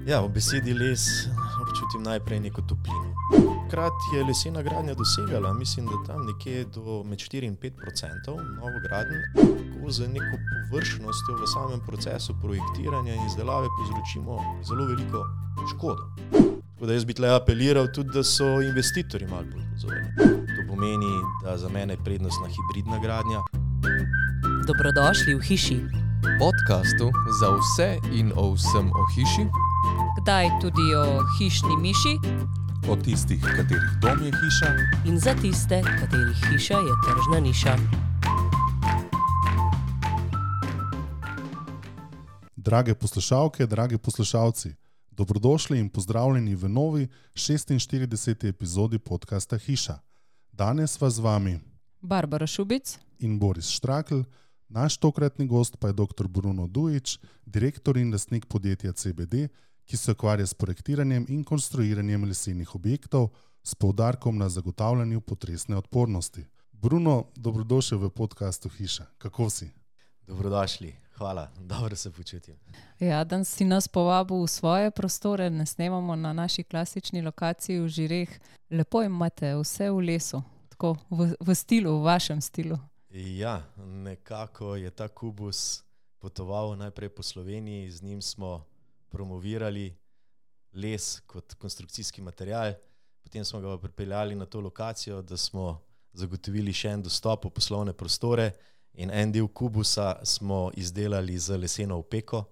Ja, v besedi les občutim najprej neko toplino. Takrat je lesena gradnja dosegala, mislim, da tam nekje med 4 in 5% novogradenj, ko z neko površnostjo v samem procesu projektiranja in izdelave povzročimo zelo veliko škodo. Tako da jaz bi tle apeliral tudi, da so investitorji malo bolj pozorni. To pomeni, da za mene je prednostna hibridna gradnja. Dobrodošli v hiši. Podcastu za vse in o vsem o hiši. Kdaj tudi o hišni miši. O tistih, katerih dom je hiša. In za tiste, katerih hiša je tržna niša. Drage poslušalke, dragi poslušalci, dobrodošli in pozdravljeni v novi 46. epizodi podcasta Hiša. Danes vas z vami Barbara Šubic in Boris Štrakl, naš tokratni gost pa je dr. Bruno Dujić, direktor in lastnik podjetja CBD, ki se ukvarja s projektiranjem in konstruiranjem lesenih objektov s poudarkom na zagotavljanju potresne odpornosti. Bruno, dobrodošel v podcastu Hiša. Kako si? Dobrodošli, hvala, dobro se počutim. Ja, danes si nas povabil v svoje prostore, ne snemamo na naši klasični lokaciji v Žireh. Lepo imate vse v lesu, tako v stilu, v vašem stilu. Ja, nekako je ta kubus potoval najprej po Sloveniji, z njim smo promovirali les kot konstrukcijski material, potem smo ga pripeljali na to lokacijo, da smo zagotovili še en dostop v poslovne prostore in en del kubusa smo izdelali z leseno opeko,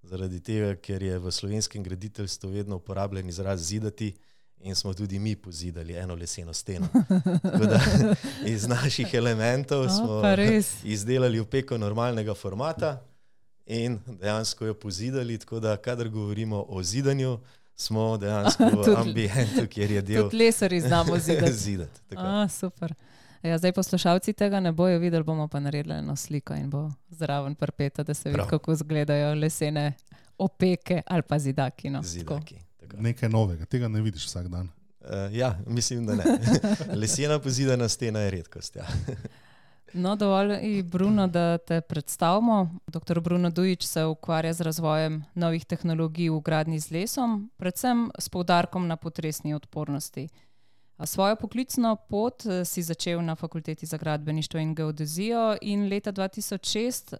zaradi tega, ker je v slovenskem graditeljstvu vedno uporabljen izraz zidati in smo tudi mi pozidali eno leseno steno. Tako da iz naših elementov smo izdelali opeko normalnega formata in dejansko jo pozidali, tako da kadar govorimo o zidanju, smo dejansko v ambientu, kjer je del... Tudi lesarji znamo zidati. Zidati. Super. Ja, zdaj poslušalci tega ne bojo videli, bomo pa naredili eno sliko in bo zraven prpeta, da se vidi, kako izgledajo lesene opeke ali pa zidaki. No. Zidaki. Nekaj novega, tega ne vidiš vsak dan. Ja, mislim, da ne. Lesena pozidana stena je redkost, ja. No, dovolj, Bruno, da te predstavimo. Dr. Bruno Dujić se ukvarja z razvojem novih tehnologij v gradnji z lesom, predvsem s poudarkom na potresni odpornosti. Svojo poklicno pot si začel na Fakulteti za gradbeništvo in geodezijo in leta 2006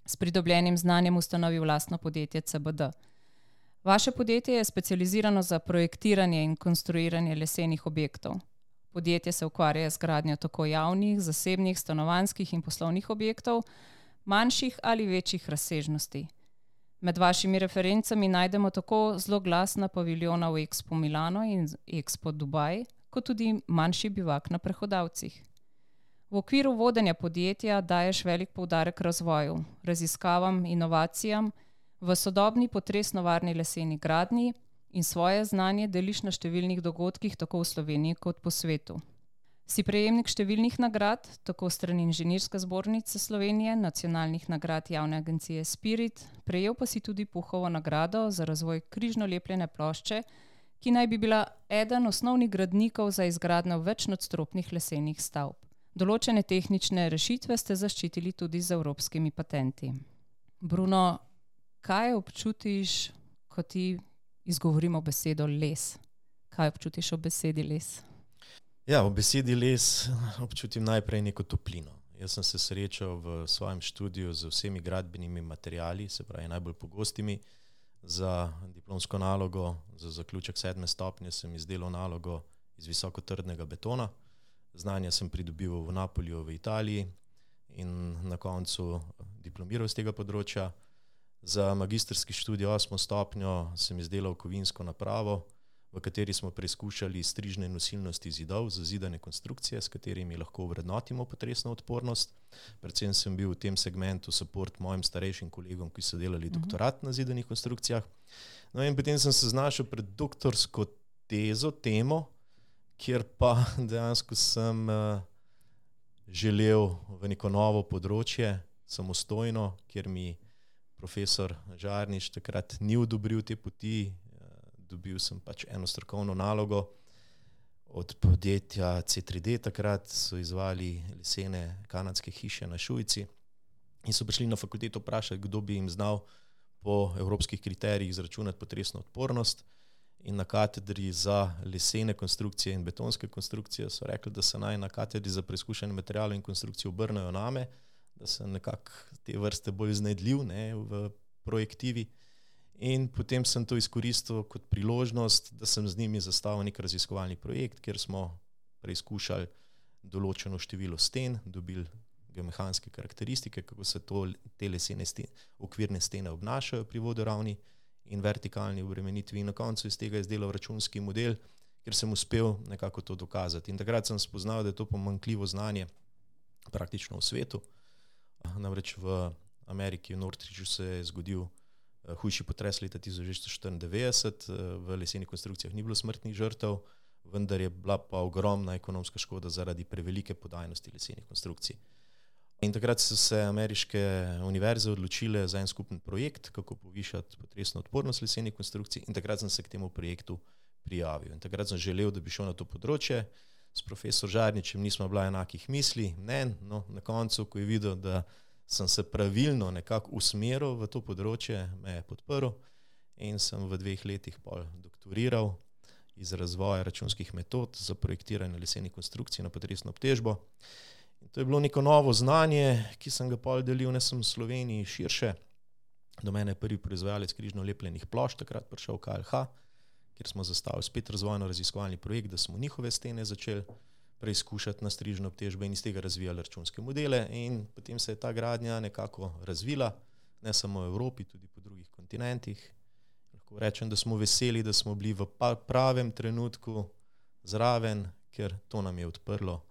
s pridobljenim znanjem ustanovil lastno podjetje CBD. Vaše podjetje je specializirano za projektiranje in konstruiranje lesenih objektov. Podjetje se ukvarja z gradnjo tako javnih, zasebnih, stanovanjskih in poslovnih objektov, manjših ali večjih razsežnosti. Med vašimi referencami najdemo tako zloglasna paviljona v Expo Milano in Expo Dubaj, kot tudi manjši bivak na Prehodavcih. V okviru vodenja podjetja daješ velik poudarek razvoju, raziskavam, inovacijam, v sodobni potresno varni leseni gradnji in svoje znanje deliš na številnih dogodkih tako v Sloveniji kot po svetu. Si prejemnik številnih nagrad, tako strani Inženirske zbornice Slovenije, nacionalnih nagrad javne agencije Spirit, prejel pa si tudi Puhovo nagrado za razvoj križno lepljene plošče, ki naj bi bila eden osnovnih gradnikov za izgradnjo večnadstropnih lesenih stavb. Določene tehnične rešitve ste zaščitili tudi z evropskimi patenti. Bruno, kaj občutiš, ko ti izgovorimo besedo les? Kaj občutiš ob besedi les? Ja, ob besedi les občutim najprej neko toplino. Jaz sem se srečal v svojem študiju z vsemi gradbenimi materiali, se pravi najbolj pogostimi. Za diplomsko nalogo, za zaključek 7. stopnje sem izdelal nalogo iz visokotrdnega betona. Znanja sem pridobil v Napolju v Italiji in na koncu diplomiral z tega področja. Za magistrski študij 8. stopnjo sem izdelal kovinsko napravo, v kateri smo preizkušali strižne nosilnosti zidov za zidane konstrukcije, s katerimi lahko vrednotimo potresno odpornost. Predvsem sem bil v tem segmentu support mojim starejšim kolegom, ki so delali doktorat na zidanih konstrukcijah. No in potem sem se znašel pred doktorsko temo, kjer pa dejansko sem želel v neko novo področje, samostojno, kjer mi profesor Žarnič takrat ni odobril te poti. Dobil sem pač eno strokovno nalogo od podjetja C3D, takrat so izvali lesene kanadske hiše na Šujici in so prišli na fakulteto vprašati, kdo bi jim znal po evropskih kriterijih izračunati potresno odpornost. In na katedri za lesene konstrukcije in betonske konstrukcije so rekli, da se naj na katedri za preizkušanje materialov in konstrukcije obrnejo name, da sem nekako te vrste bolj iznajdljiv, ne, v projektivi. In potem sem to izkoristil kot priložnost, da sem z njimi zastavil nek raziskovalni projekt, kjer smo preizkušali določeno število sten, dobili geomehanske karakteristike, kako se te lesene okvirne stene obnašajo pri vodoravni in vertikalni obremenitvi, in na koncu iz tega izdelal računski model, kjer sem uspel nekako to dokazati. In takrat sem spoznal, da je to pomanjkljivo znanje praktično v svetu. Namreč v Ameriki, v Northridgeu se je zgodil hujši potres leta 1994, v lesenih konstrukcijah ni bilo smrtnih žrtev, vendar je bila pa ogromna ekonomska škoda zaradi prevelike podajnosti lesenih konstrukcij. In takrat so se ameriške univerze odločile za en skupen projekt, kako povišati potresno odpornost lesenih konstrukcij, in takrat sem se k temu projektu prijavil. In takrat sem želel, da bi šel na to področje. S profesor Žarničem nismo bila enakih misli, no, na koncu, ko je videl, da sem se pravilno nekako usmeril v to področje, me je podprl in sem v 2 letih pol doktoriral iz razvoja računskih metod za projektiranje lesenih konstrukcij na potresno obtežbo. In to je bilo neko novo znanje, ki sem ga pol delil ne samo v Sloveniji širše. Do mene je prvi proizvajalec križno lepljenih plošč takrat prišel KLH, kjer smo zastavili spet razvojno-raziskovalni projekt, da smo njihove stene začeli preizkušati na strižno obtežbo in iz tega razvijali računske modele, in potem se je ta gradnja nekako razvila, ne samo v Evropi, tudi po drugih kontinentih. Lahko rečem, da smo veseli, da smo bili v pravem trenutku zraven, ker to nam je odprlo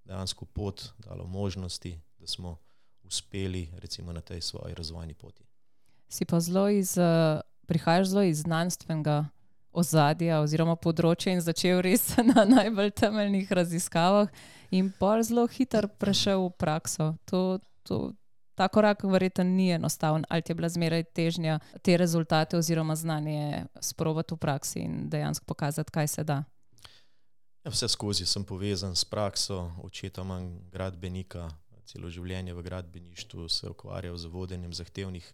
dejansko pot, dalo možnosti, da smo uspeli recimo na tej svoji razvojni poti. Si pa prihajaš zelo iz znanstvenega ozadja oziroma področja in začel res na najbolj temeljnih raziskavah in pol zelo hitro prešel v prakso. Ta korak verjetno ni enostaven, ali ti je bila zmeraj težnja te rezultate oziroma znanje sprobati v praksi in dejansko pokazati, kaj se da? Ja, vse skozi sem povezan s prakso, očeta imam gradbenika, celo življenje v gradbeništvu se ukvarjal z vodenjem zahtevnih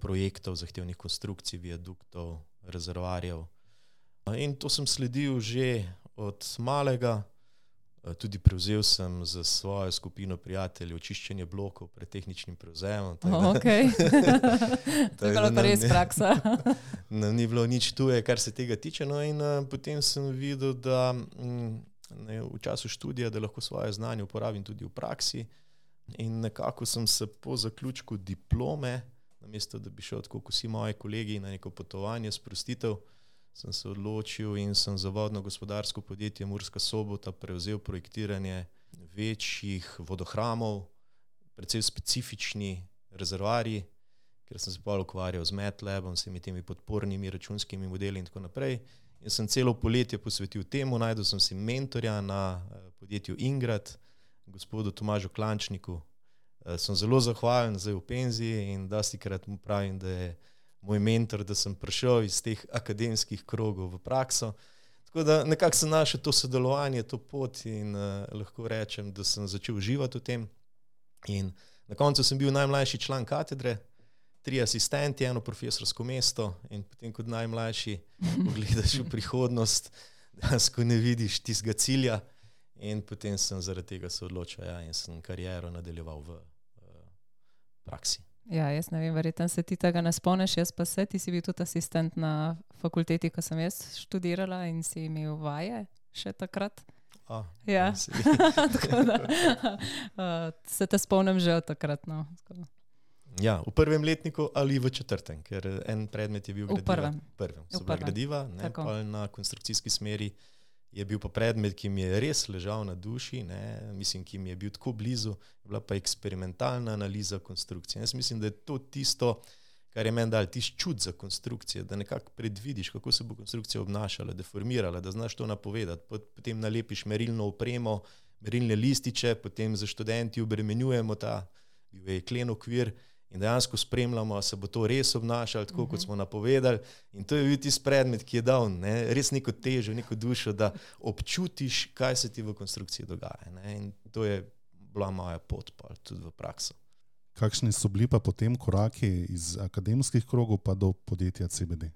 projektov, zahtevnih konstrukcij, viaduktov, rezervoarjev. In to sem sledil že od malega. Tudi prevzel sem za svojo skupino prijateljev čiščenje blokov pred tehničnim prevzemom. Okay. To je bila pa res praksa. Ni bilo nič tuje, kar se tega tiče. No, in potem sem videl, da v času študija, da lahko svoje znanje uporabim tudi v praksi. In nekako sem se po zaključku diplome, namesto da bi šel tako kot vsi moji kolegi na neko potovanje, sprostitev, sem se odločil in sem za vodno-gospodarsko podjetje Murska Sobota prevzel projektiranje večjih vodohramov, predvsem specifični rezervoarji, ker sem se pa ukvarjal z MATLABom, vsemi temi podpornimi računskimi modeli in tako naprej. In sem celo poletje posvetil temu, najdel sem si mentorja na podjetju Ingrad, gospodu Tomažu Klančniku. Sem zelo zahvalen, zdaj v penziji, in dostikrat mu pravim, da je moj mentor, da sem prišel iz teh akademskih krogov v prakso. Tako da nekako sem našel to sodelovanje, to pot in lahko rečem, da sem začel uživati v tem. In na koncu sem bil najmlajši član katedre, 3 asistenti, 1 profesorsko mesto, in potem kot najmlajši pogledaš v prihodnost, dejansko ne vidiš tistega cilja, in potem sem zaradi tega se odločil in sem kariero nadaljeval v praksi. Ja, jaz ne vem, verjetno se ti tega ne spomniš, jaz pa se, ti si bil tudi asistent na fakulteti, ko sem jaz študirala, in si imel vaje še takrat. Ja, tako da se te spomnim že od takrat. No. Ja, v 1. letniku ali v 4., ker en predmet je bil gradiva. V prvem. So bila gradiva, na konstrukcijski smeri je bil pa predmet, ki mi je res ležal na duši, mislim, ki mi je bil tako blizu, je bila pa eksperimentalna analiza konstrukcije. Jaz mislim, da je to tisto, kar je meni dal tisti čut za konstrukcije, da nekako predvidiš, kako se bo konstrukcija obnašala, deformirala, da znaš to napovedati. Potem nalepiš merilno opremo, merilne lističe, potem za študenti obremenjujemo ta jeklen okvir in dejansko spremljamo, se bo to res obnašalo tako, kot smo napovedali. In to je bil tisti predmet, ki je dal res neko težo, neko dušo, da občutiš, kaj se ti v konstrukciji dogaja. In to je bila moja pot pa tudi v prakso. Kakšni so bili pa potem koraki iz akademskih krogov pa do podjetja CBD?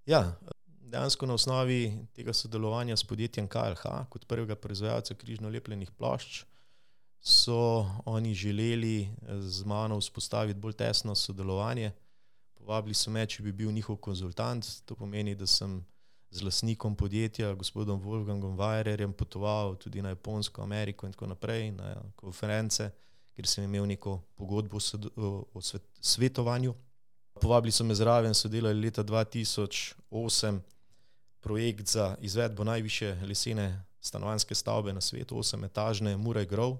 Ja, dejansko na osnovi tega sodelovanja s podjetjem KLH kot prvega proizvajalca križno lepljenih plošč so oni želeli z mano vzpostaviti bolj tesno sodelovanje. Povabili so me, če bi bil njihov konzultant, to pomeni, da sem z lastnikom podjetja, gospodom Wolfgangom Weirerjem, potoval tudi na Japonsko, Ameriko in tako naprej, na konference, kjer sem imel neko pogodbo o svetovanju. Povabili so me zraven, so delali leta 2008 projekt za izvedbo najvišje lesene stanovanjske stavbe na svetu, 8-etažne Murray Grove.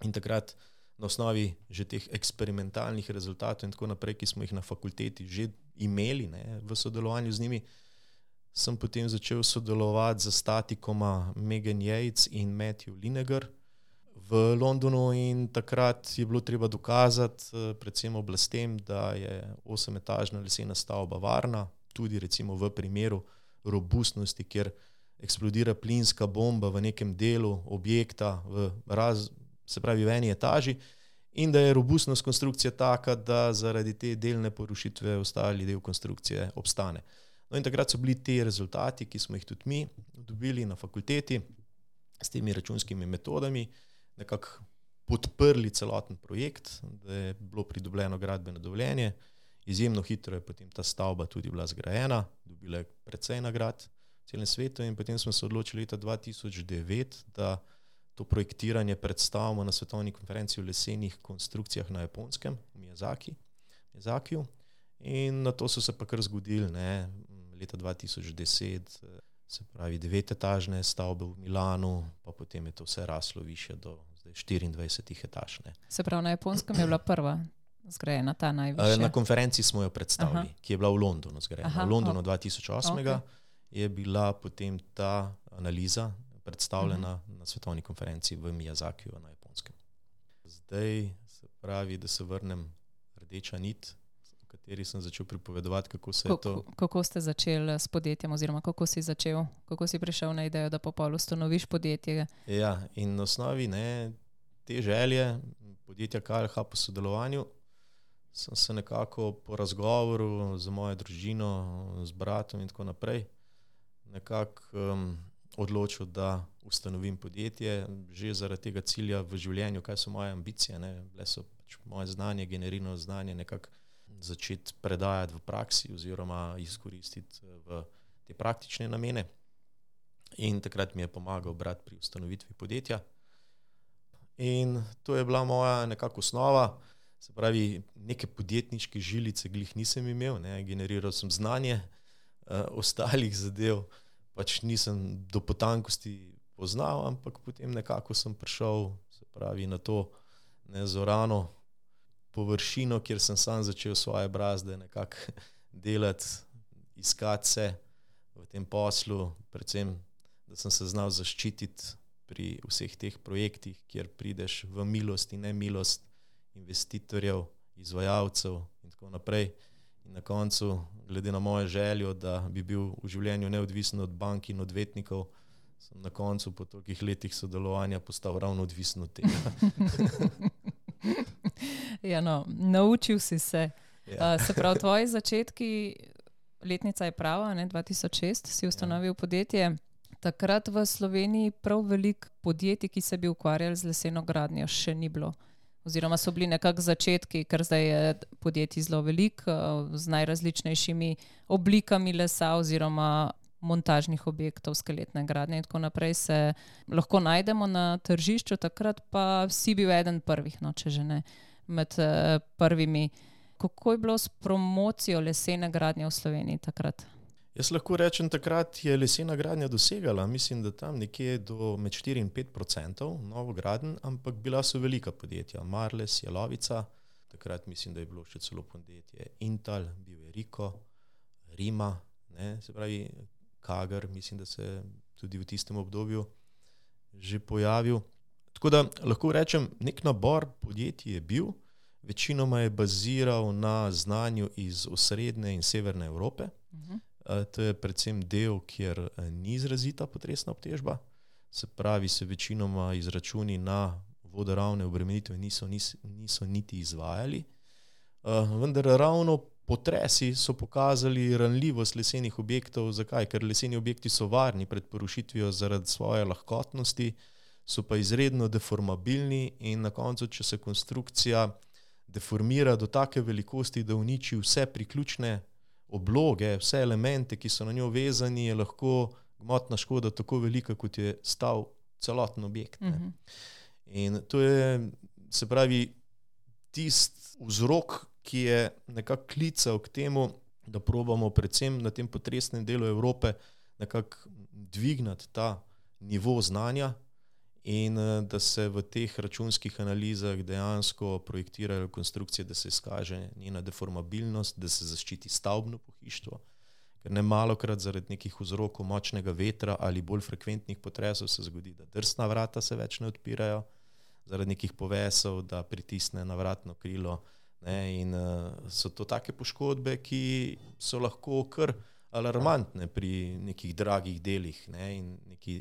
In takrat na osnovi že teh eksperimentalnih rezultatov in tako naprej, ki smo jih na fakulteti že imeli, ne, v sodelovanju z njimi, sem potem začel sodelovati z statikoma Megan Yates in Matthew Linegar v Londonu in takrat je bilo treba dokazati predvsem oblastem, da je 8-etažna lesena stavba varna, tudi recimo v primeru robustnosti, kjer eksplodira plinska bomba v nekem delu objekta se pravi v eni etaži in da je robustnost konstrukcije taka, da zaradi te delne porušitve ostali del konstrukcije obstane. No in takrat so bili ti rezultati, ki smo jih tudi mi dobili na fakulteti s temi računskimi metodami, nekako podprli celoten projekt, da je bilo pridobljeno gradbeno dovoljenje. Izjemno hitro je potem ta stavba tudi bila zgrajena, dobila je precej nagrad v celem svetu in potem smo se odločili leta 2009, da to projektiranje predstavimo na svetovni konferenci o lesenih konstrukcijah na Japonskem, v Miyazakiju. In na to so se pa kar zgodili, ne, leta 2010, se pravi 9-etažne stavbe v Milanu, pa potem je to vse raslo više do zdaj 24 etaž. Ne. Se pravi, na Japonskem je bila prva zgrajena, ta najvišja? Na konferenci smo jo predstavili, ki je bila v Londonu zgrajena. V Londonu 2008 je bila potem ta analiza predstavljena na svetovni konferenci v Miyazakiju na Japonskem. Zdaj se pravi, da se vrnem rdeča nit, v kateri sem začel pripovedovati, kako se je to... Kako ste začeli s podjetjem oziroma kako si prišel na idejo, da popolno ustanoviš podjetje? Ja, in na osnovi te želje podjetja KLH po sodelovanju sem se nekako po razgovoru z mojo družino, z bratom in tako naprej nekako odločil, da ustanovim podjetje, že zaradi tega cilja v življenju, kaj so moje ambicije, ne, bile so pač moje znanje, generirano znanje nekako začeti predajati v praksi oziroma izkoristiti v te praktične namene. In takrat mi je pomagal brat pri ustanovitvi podjetja. In to je bila moja nekako osnova, se pravi, neke podjetniške žilice glih nisem imel, ne, generiral sem znanje, ostalih zadev pač nisem do potankosti poznal, ampak potem nekako sem prišel, se pravi, na to nezorano površino, kjer sem sam začel svoje brazde nekako delati, iskati se v tem poslu, predvsem, da sem se znal zaščititi pri vseh teh projektih, kjer prideš v milost in nemilost investitorjev, izvajalcev in tako naprej. In na koncu, glede na mojo željo, da bi bil v življenju neodvisen od bank in odvetnikov, sem na koncu po tolikih letih sodelovanja postal ravno odvisen od tega. Ja, no, naučil si se. Ja. Se pravi, tvoji začetki, letnica je prava, 2006 si ustanovil podjetje. Takrat v Sloveniji prav veliko podjetij, ki se bi ukvarjali z leseno gradnjo, še ni bilo. Oziroma so bili nekako začetki, ker zdaj je podjetij zelo veliko, z najrazličnejšimi oblikami lesa oziroma montažnih objektov, skeletne gradnje in tako naprej se lahko najdemo na tržišču, takrat pa si bil eden prvih, no, če že ne med prvimi. Kako je bilo s promocijo lesene gradnje v Sloveniji takrat? Jaz lahko rečem, takrat je lesena gradnja dosegala, mislim, da tam nekje med 4 in 5% novogradenj, ampak bila so velika podjetja, Marles, Jalovica, takrat mislim, da je bilo še celo podjetje Intal, bil je Riko, Rima, ne, se pravi Kager, mislim, da se tudi v tistem obdobju že pojavil. Tako da lahko rečem, nek nabor podjetij je bil, večinoma je baziral na znanju iz osrednje in severne Evrope. To je predvsem del, kjer ni izrazita potresna obtežba, se pravi, se večinoma izračuni na vodoravne obremenitve niso niti izvajali. Vendar ravno potresi so pokazali ranljivost lesenih objektov. Zakaj? Ker leseni objekti so varni pred porušitvijo zaradi svoje lahkotnosti, so pa izredno deformabilni in na koncu, če se konstrukcija deformira do take velikosti, da uniči vse priključne obloge, vse elemente, ki so na njo vezani, je lahko gmotna škoda tako velika, kot je stal celoten objekt. Ne. In to je, se pravi, tisti vzrok, ki je nekako klical k temu, da probamo predvsem na tem potresnem delu Evrope nekako dvignati ta nivo znanja in da se v teh računskih analizah dejansko projektirajo konstrukcije, da se izkaže njena deformabilnost, da se zaščiti stavbno pohištvo, ker ne malokrat zaradi nekih vzrokov močnega vetra ali bolj frekventnih potresov se zgodi, da drsna vrata se več ne odpirajo, zaradi nekih povesov, da pritisne na vratno krilo. Ne, in so to take poškodbe, ki so lahko kar alarmantne pri nekih dragih delih, ne, in neki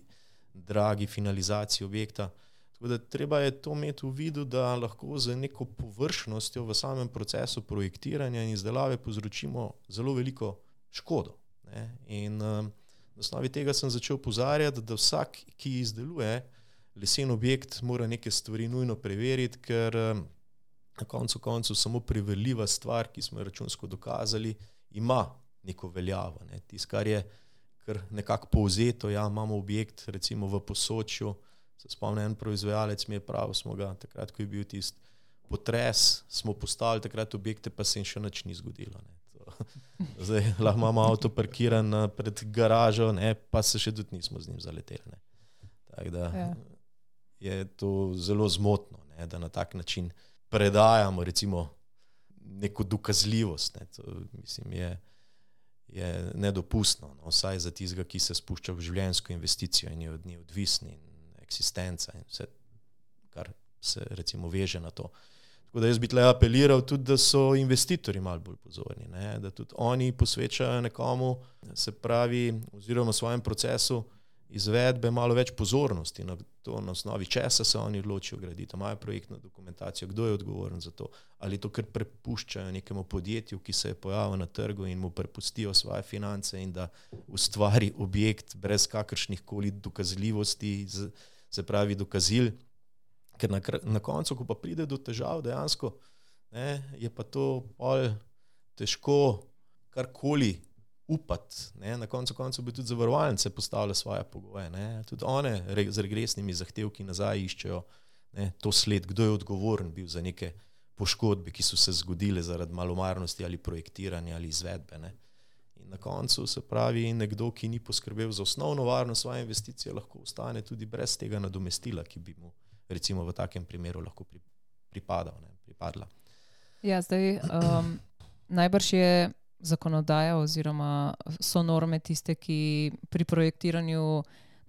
dragi finalizaciji objekta. Tako da treba je to imeti v vidu, da lahko z neko površnostjo v samem procesu projektiranja in izdelave povzročimo zelo veliko škodo. Ne. In na osnovi tega sem začel opozarjati, da vsak, ki izdeluje lesen objekt, mora neke stvari nujno preveriti, ker na koncu koncev samo preverljiva stvar, ki smo jo računsko dokazali, ima neko veljavo. Ne. Tisto, kar je kar nekako povzeto, ja, imamo objekt recimo v Posočju, se spomnim, en proizvajalec mi je pravil, smo ga takrat, ko je bil tisti potres, smo postavili takrat objekte, pa se jim še nič ni zgodilo. Ne. Zdaj lahko imamo avto parkiran pred garažo, ne, pa se še tudi nismo z njim zaleteli. Ne. Tako da je to zelo zmotno, ne, da na tak način predajamo recimo neko dokazljivost. Ne. To, mislim, je nedopustno, no, vsaj za tistega, ki se spušča v življenjsko investicijo in je od nje odvisni in eksistenca in vse, kar se recimo veže na to. Tako da jaz bi tle apeliral tudi, da so investitorji malo bolj pozorni, ne, da tudi oni posvečajo nekomu, se pravi, oziroma svojem procesu izvedbe malo več pozornosti na to, na osnovi česa se oni odločijo graditi, imajo projektno dokumentacijo, kdo je odgovoren za to, ali to kar prepuščajo nekemu podjetju, ki se je pojavil na trgu in mu prepustijo svoje finance in da ustvari objekt brez kakršnih koli dokazljivosti, se pravi dokazil, ker na koncu, ko pa pride do težav dejansko, ne, je pa to bolj težko karkoli upati. Ne. Na koncu bi tudi zavarovalnice postavile svoje pogoje. Ne. Tudi one z regresnimi zahtevki nazaj iščejo, ne, to sled, kdo je odgovoren bil za neke poškodbe, ki so se zgodile zaradi malomarnosti ali projektiranja ali izvedbe. Ne. In na koncu se pravi, nekdo, ki ni poskrbel za osnovno varnost svoje investicije, lahko ostane tudi brez tega nadomestila, ki bi mu recimo v takem primeru lahko pripadla. Ja, zdaj najbrž je zakonodaja oziroma so norme tiste, ki pri projektiranju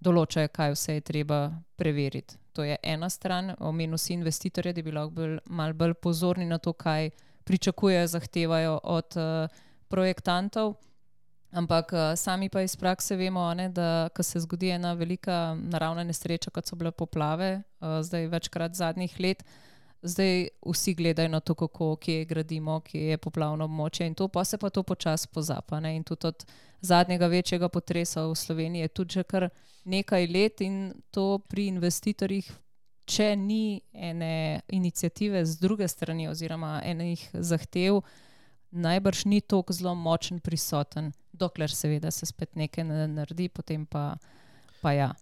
določajo, kaj vse je treba preveriti. To je ena stran, omenil si investitorje, da bi lahko malo bolj pozorni na to, kaj pričakujejo, zahtevajo od projektantov, ampak sami pa iz prakse vemo, ne, da ko se zgodi ena velika naravna nesreča, kot so bile poplave, zdaj večkrat zadnjih let, zdaj vsi gledajo na to, kako, kje gradimo, kje je poplavno območje in to, pa se pa to počasi pozapa. Ne? In tudi od zadnjega večjega potresa v Sloveniji je tudi že kar nekaj let in to pri investitorjih, če ni ene iniciative z druge strani oziroma enih zahtev, najbrž ni toliko zelo močen prisoten, dokler seveda se spet nekaj naredi, potem pa ja.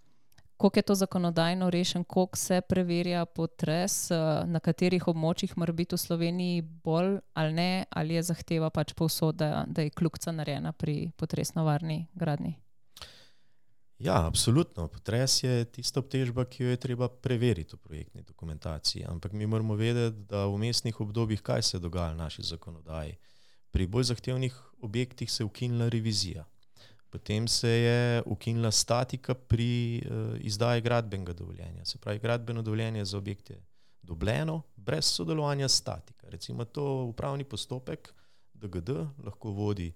Koliko je to zakonodajno rešen, koliko se preverja potres, na katerih območjih mora biti v Sloveniji bolj ali ne, ali je zahteva pač povsod, da je kljukica narejena pri potresno varni gradnji? Ja, absolutno. Potres je tista obtežba, ki jo je treba preveriti v projektni dokumentaciji, ampak mi moramo vedeti, da v vmesnih obdobjih kaj se dogaja v naši zakonodaji. Pri bolj zahtevnih objektih se je ukinila revizija. Potem se je ukinila statika pri izdaji gradbenega dovoljenja. Se pravi, gradbeno dovoljenje za objekt je dobljeno brez sodelovanja statika. Recimo to upravni postopek DGD lahko vodi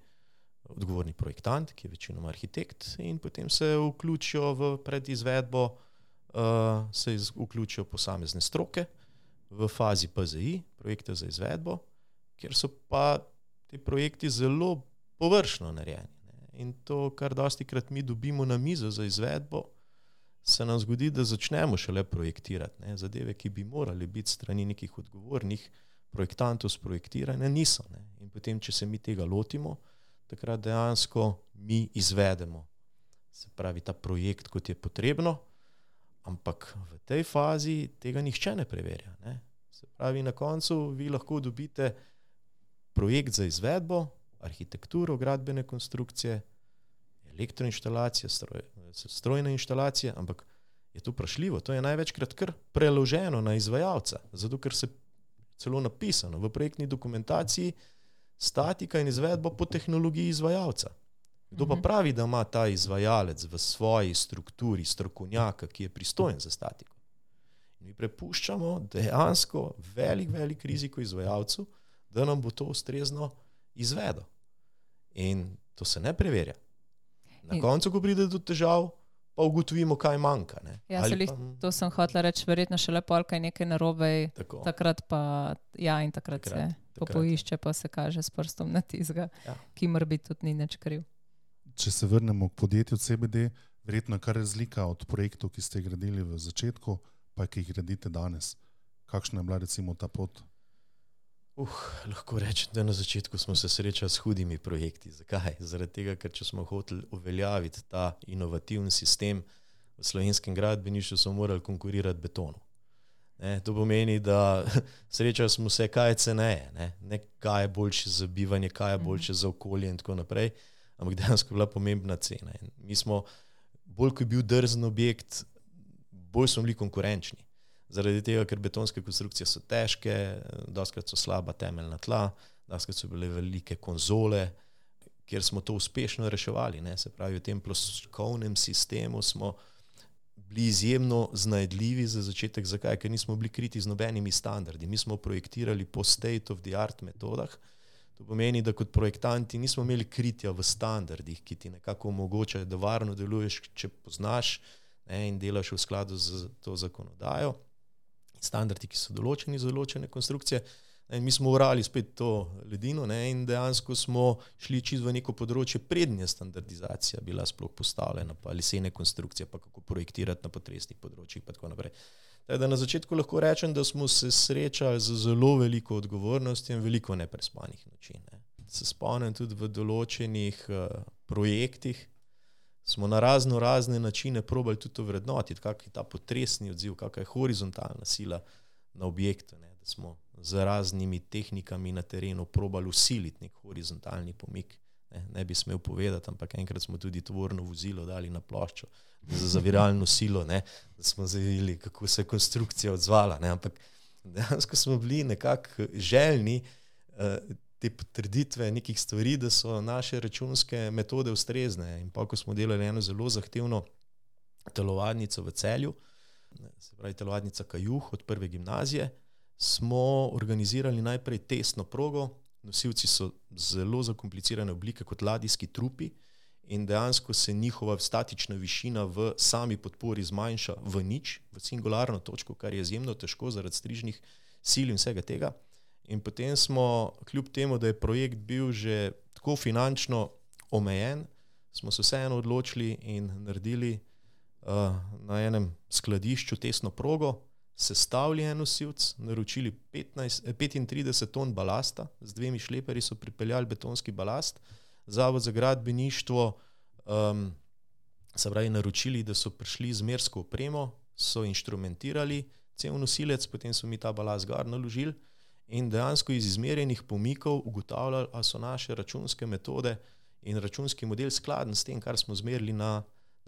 odgovorni projektant, ki je večinoma arhitekt, in potem se vključijo v predizvedbo se vključijo posamezne stroke v fazi PZI, projekte za izvedbo, kjer so pa ti projekti zelo površno narejeni. In to, kar dostikrat mi dobimo na mizo za izvedbo, se nam zgodi, da začnemo šele projektirati. Zadeve, ki bi morali biti strani nekih odgovornih projektantov sprojektirane, niso. In potem, če se mi tega lotimo, takrat dejansko mi izvedemo, se pravi, ta projekt, kot je potrebno, ampak v tej fazi tega nihče ne preverja. Se pravi, na koncu vi lahko dobite projekt za izvedbo, arhitekturo, gradbene konstrukcije, elektroinštalacije, strojne inštalacije, ampak je to vprašljivo. To je največkrat kar preloženo na izvajalca, zato ker se celo napisano v projektni dokumentaciji statika in izvedba po tehnologiji izvajalca. Kdo pa pravi, da ima ta izvajalec v svoji strukturi strokovnjaka, ki je pristojen za statiko? In mi prepuščamo dejansko velik riziko izvajalcu, da nam bo to ustrezno izvedel. In to se ne preverja. Na koncu, ko pride do težav, pa ugotovimo, kaj manjka. Ja, to sem hotela reči, verjetno šele polka je nekaj narobe, takrat pa in takrat se poišče, pa se kaže s prstom na tizga, ki mora biti tudi ni nič kriv. Če se vrnemo k podjetju CBD, verjetno kar razlika od projektov, ki ste gradili v začetku, pa ki jih gradite danes. Kakšna je bila recimo ta pot? Lahko rečem, da na začetku smo se srečali s hudimi projekti. Zakaj? Zaradi tega, ker če smo hoteli uveljaviti ta inovativni sistem v slovenskem gradbeništvu, smo morali konkurirati betonu. To pomeni, da srečali smo se, kaj je ceneje, ne kaj je boljše za bivanje, kaj je boljše za okolje in tako naprej, ampak dejansko je bila pomembna cena. In mi smo, bolj ko je bil drzen objekt, bolj smo bili konkurenčni. Zaradi tega, ker betonske konstrukcije so težke, dostikrat so slaba temeljna tla, dostikrat so bile velike konzole, kjer smo to uspešno reševali. Se pravi, v tem ploščkovnem sistemu smo bili izjemno znajdljivi za začetek. Zakaj? Ker nismo bili kriti z nobenimi standardi. Mi smo projektirali po state of the art metodah. To pomeni, da kot projektanti nismo imeli kritja v standardih, ki ti nekako omogočajo, da varno deluješ, če poznaš in delaš v skladu z to zakonodajo. Standardi, ki so določeni za določene konstrukcije. In mi smo urali spet to ledino in dejansko smo šli čisto v neko področje prednje standardizacija bila sploh postavljena, pa lesene konstrukcije, pa kako projektirati na potresnih področjih, pa tako naprej. Da na začetku lahko rečem, da smo se srečali z zelo veliko odgovornosti in veliko neprespanih noči. Se spomnim tudi v določenih projektih, smo na razne načine probali tudi to vrednotiti, kak je ta potresni odziv, kakšna je horizontalna sila na objektu, da smo z raznimi tehnikami na terenu probali usiliti nek horizontalni pomik. Ne bi smel povedati, ampak enkrat smo tudi tovorno vozilo dali na ploščo za zaviralno silo, da smo zavili, kako se je konstrukcija odzvala. Ampak dejansko smo bili nekako željni te potrditve nekih stvari, da so naše računske metode ustrezne. In pa, ko smo delali eno zelo zahtevno telovadnico v Celju, se pravi telovadnica Kajuh od prve gimnazije, smo organizirali najprej testno progo. Nosilci so zelo zakomplicirane oblike kot ladijski trupi in dejansko se njihova statična višina v sami podpori zmanjša v nič, v singularno točko, kar je izjemno težko zaradi strižnih sil in vsega tega. In potem smo, kljub temu, da je projekt bil že tako finančno omejen, smo se vseeno odločili in naredili na enem skladišču testno progo, sestavili en nosilc, naročili 35 ton balasta, z 2 šleperji so pripeljali betonski balast, Zavod za gradbeništvo se pravi naročili, da so prišli z mersko opremo, so inštrumentirali cel nosilec, potem so mi ta balast gor naložili in dejansko iz izmerjenih pomikov ugotavljali, ali so naše računske metode in računski model skladen s tem, kar smo zmerili na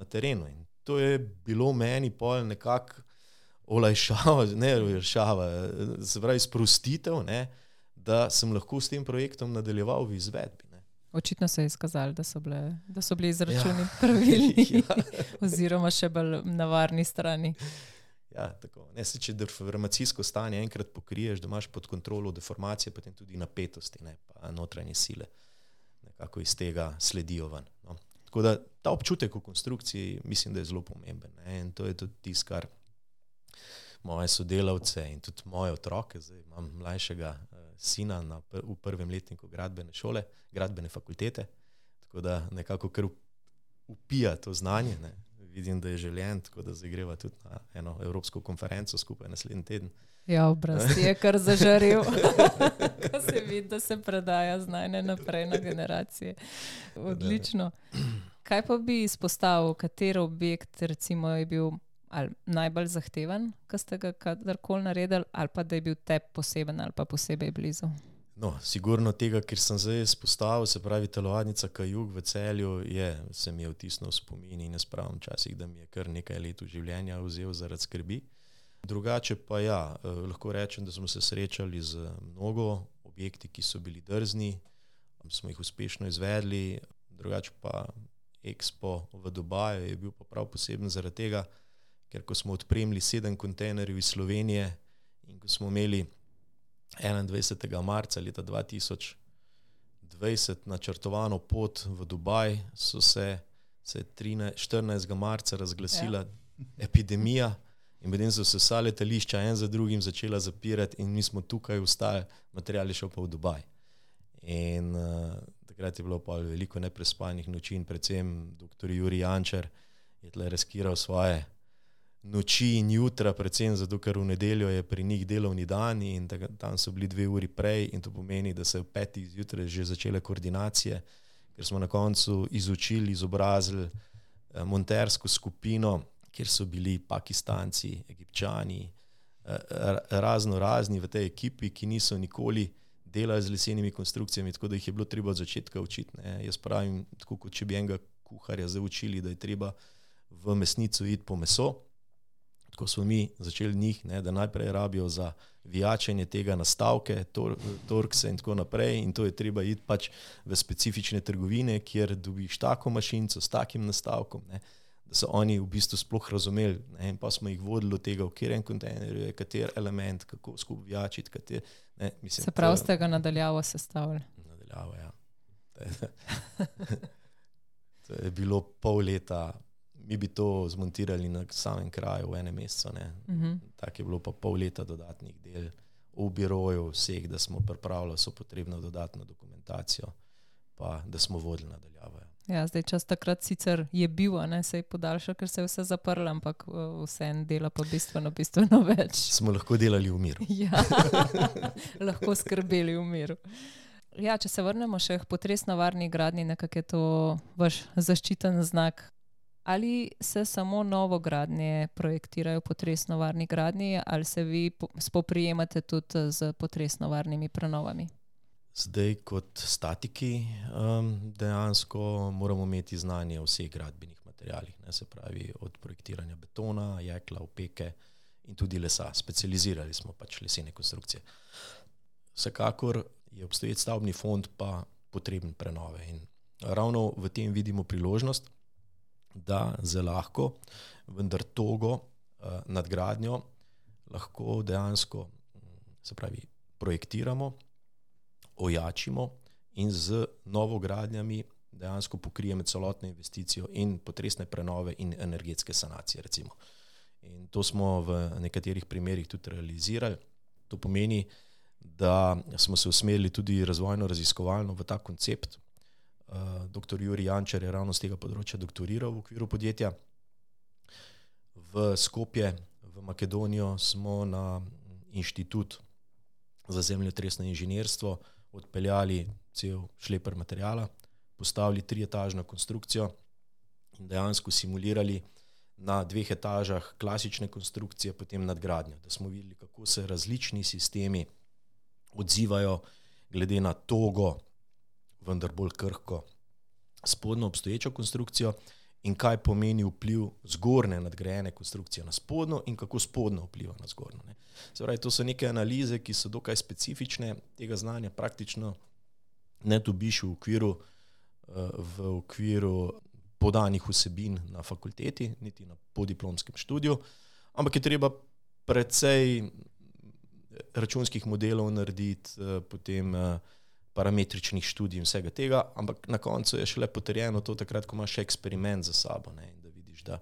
terenu. In to je bilo meni pol nekako olajšava, se pravi sprostitev, da sem lahko s tem projektom nadaljeval v izvedbi. Očitno se je izkazalo, da so bili izračuni pravilni oziroma še bolj na varni strani. Ja, tako. Če deformacijsko stanje enkrat pokriješ, da imaš pod kontrolo deformacije, potem tudi napetosti, pa notranje sile nekako iz tega sledijo ven. Tako da ta občutek v konstrukciji mislim, da je zelo pomemben. Ne? In to je tudi tisto, kar moje sodelavce in tudi moje otroke, zdaj imam mlajšega sina v prvem letniku gradbene šole, gradbene fakultete, tako da nekako kar upija to znanje, ne. Vidim, da je željen, tako da zdaj greva tudi na eno evropsko konferenco skupaj naslednji teden. Ja, obraz je kar zažarel, ko se vidi, da se predaja znanje naprej na generacije. Odlično. Kaj pa bi izpostavil, kateri objekt recimo je bil ali najbolj zahteven, ko ste ga kadarkoli naredili, ali pa da je bil tebi poseben ali pa posebej blizu? No, sigurno tega, ker sem zdaj izpostavil, se pravi telovadnica Kajug v Celju, se mi je vtisnil v spomin in ne spravim včasih, da mi je kar nekaj let v življenja vzel zaradi skrbi. Drugače pa lahko rečem, da smo se srečali z mnogo objekti, ki so bili drzni, smo jih uspešno izvedli, drugače pa Expo v Dubaju je bil pa prav poseben zaradi tega, ker ko smo odpremili 7 kontejnerjev iz Slovenije in ko smo imeli 21. marca leta 2020 načrtovano pot v Dubaj, se 14. marca razglasila epidemija in potem so se vsa letališča en za drugim začela zapirati in mi smo tukaj ostali, material je šel pa v Dubaj. In takrat je bilo pa veliko neprespanih noči in predvsem dr. Jurij Jančar je tle riskiral svoje noči in jutra, predvsem zato, ker v nedeljo je pri njih delovni dan in tam so bili 2 uri prej in to pomeni, da se v 5. zjutraj že začele koordinacije, ker smo na koncu izučili, izobrazili montersko skupino, kjer so bili Pakistanci, Egipčani, razni v tej ekipi, ki niso nikoli delali z lesenimi konstrukcijami, tako da jih je bilo treba od začetka učiti. Ne. Jaz pravim, tako kot če bi enega kuharja zdaj učili, da je treba v mesnico iti po meso, tako smo mi začeli njih, ne, da najprej rabijo za vijačenje tega nastavke, torkse in tako naprej in to je treba iti pač v specifične trgovine, kjer dobiš tako mašinco s takim nastavkom, ne, da so oni v bistvu sploh razumeli, ne, in pa smo jih vodili od tega, v katerem kontejnerju je kater element, kako skupaj vijačiti, se pravi, ste ga nadaljavo sestavili? Nadaljavo, ja. To je bilo pol leta. Mi bi to zmontirali na samem kraju v enem mesecu. Tako je bilo pa pol leta dodatnih del v biroju vseh, da smo pripravili so potrebno dodatno dokumentacijo, pa da smo vodili nadaljavo. Ja, zdaj čas takrat sicer je bil, se je podaljšal, ker se je vse zaprlo, ampak vse en dela pa bistveno več. Smo lahko delali v miru. Ja, lahko skrbeli v miru. Ja, če se vrnemo še k potresno varni gradnji, nekako je to vaš zaščiten znak. Ali se samo novogradnje projektirajo potresno varni gradnji ali se vi spoprijemate tudi z potresno varnimi prenovami? Zdaj kot statiki dejansko moramo imeti znanje o vseh gradbenih materialih, ne, se pravi od projektiranja betona, jekla, opeke in tudi lesa. Specializirali smo pač lesene konstrukcije. Vsekakor je obstoječ stavbni fond pa potreben prenove in ravno v tem vidimo priložnost, da zelo lahko, vendar togo nadgradnjo lahko dejansko, se pravi, projektiramo, ojačimo in z novogradnjami dejansko pokrijemo celotno investicijo in potresne prenove in energetske sanacije, recimo. In to smo v nekaterih primerih tudi realizirali. To pomeni, da smo se usmerili tudi razvojno-raziskovalno v ta koncept. Dr. Jurij Jančar je ravno z tega področja doktoriral v okviru podjetja. V Skopje, v Makedonijo smo na inštitut za zemljotresno inženirstvo odpeljali cel šleper materijala, postavili 3-etažno konstrukcijo in dejansko simulirali na 2 etažah klasične konstrukcije, potem nadgradnjo, da smo videli, kako se različni sistemi odzivajo glede na togo, vendar bolj krhko spodnjo obstoječo konstrukcijo in kaj pomeni vpliv zgornje nadgrajene konstrukcije na spodnjo in kako spodnjo vpliva na zgornjo. Se pravi, to so neke analize, ki so dokaj specifične, tega znanja praktično ne dobiš v okviru podanih vsebin na fakulteti, niti na podiplomskem študiju, ampak je treba precej računskih modelov narediti, potem parametričnih študij in vsega tega, ampak na koncu je šele potrjeno to takrat, ko imaš eksperiment za sabo, ne, in da vidiš, da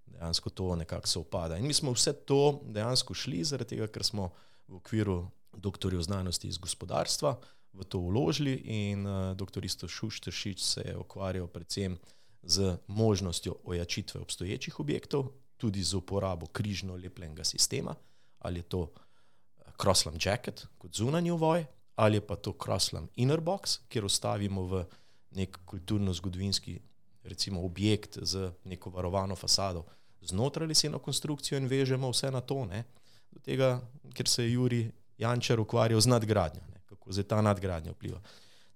dejansko to nekako se upada. In mi smo vse to dejansko šli, zaradi tega, ker smo v okviru doktorjev znanosti iz gospodarstva v to vložili in dr. Risto Šušteršič se je ukvarjal predvsem z možnostjo ojačitve obstoječih objektov, tudi z uporabo križno lepljenega sistema, ali je to Crosslam jacket kot zunanji ovoj, ali je pa to Crosslam inner box, kjer ostavimo v nek kulturno-zgodovinski recimo objekt z neko varovano fasado znotraj leseno konstrukcijo in vežemo vse na to, ne, do tega, ker se je Jurij Jančar ukvarjal z nadgradnjo, ne, kako zdaj ta nadgradnja vpliva.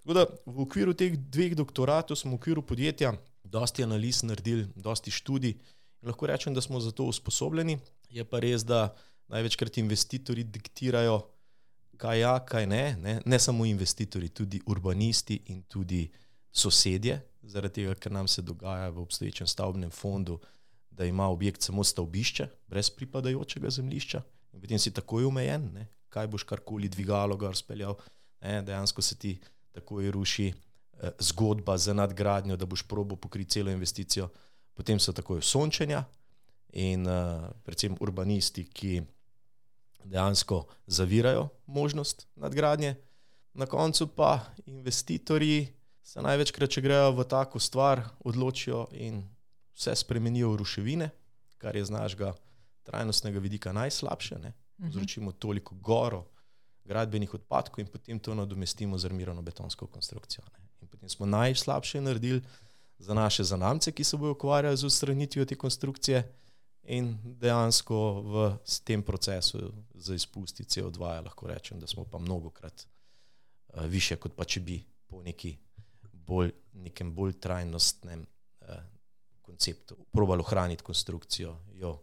Tako da v okviru teh 2 doktoratov smo v okviru podjetja dosti analiz naredili, dosti študij in lahko rečem, da smo za to usposobljeni. Je pa res, da največkrat investitorji diktirajo, kaj ja, kaj ne, ne samo investitorji, tudi urbanisti in tudi sosedje, zaradi tega, ker nam se dogaja v obstoječem stavbnem fondu, da ima objekt samo stavbišče, brez pripadajočega zemljišča in potem si takoj omejen, ne, kaj boš karkoli dvigalo gor speljal, ne, dejansko se ti takoj ruši zgodba za nadgradnjo, da boš probal pokriti celo investicijo, potem so takoj sončenja in predvsem urbanisti, ki dejansko zavirajo možnost nadgradnje. Na koncu pa investitorji se največkrat, če grejo v tako stvar, odločijo in vse spremenijo v ruševine, kar je z našega trajnostnega vidika najslabše, ne. Povzročimo toliko goro gradbenih odpadkov in potem to nadomestimo z armirano betonsko konstrukcijo, ne. In potem smo najslabše naredili za naše zanamce, ki se bojo ukvarjali z odstranitvijo te konstrukcije in dejansko v tem procesu za izpusti CO2 lahko rečem, da smo pa mnogokrat više, kot pa če bi po nekem bolj trajnostnem konceptu probali ohraniti konstrukcijo, jo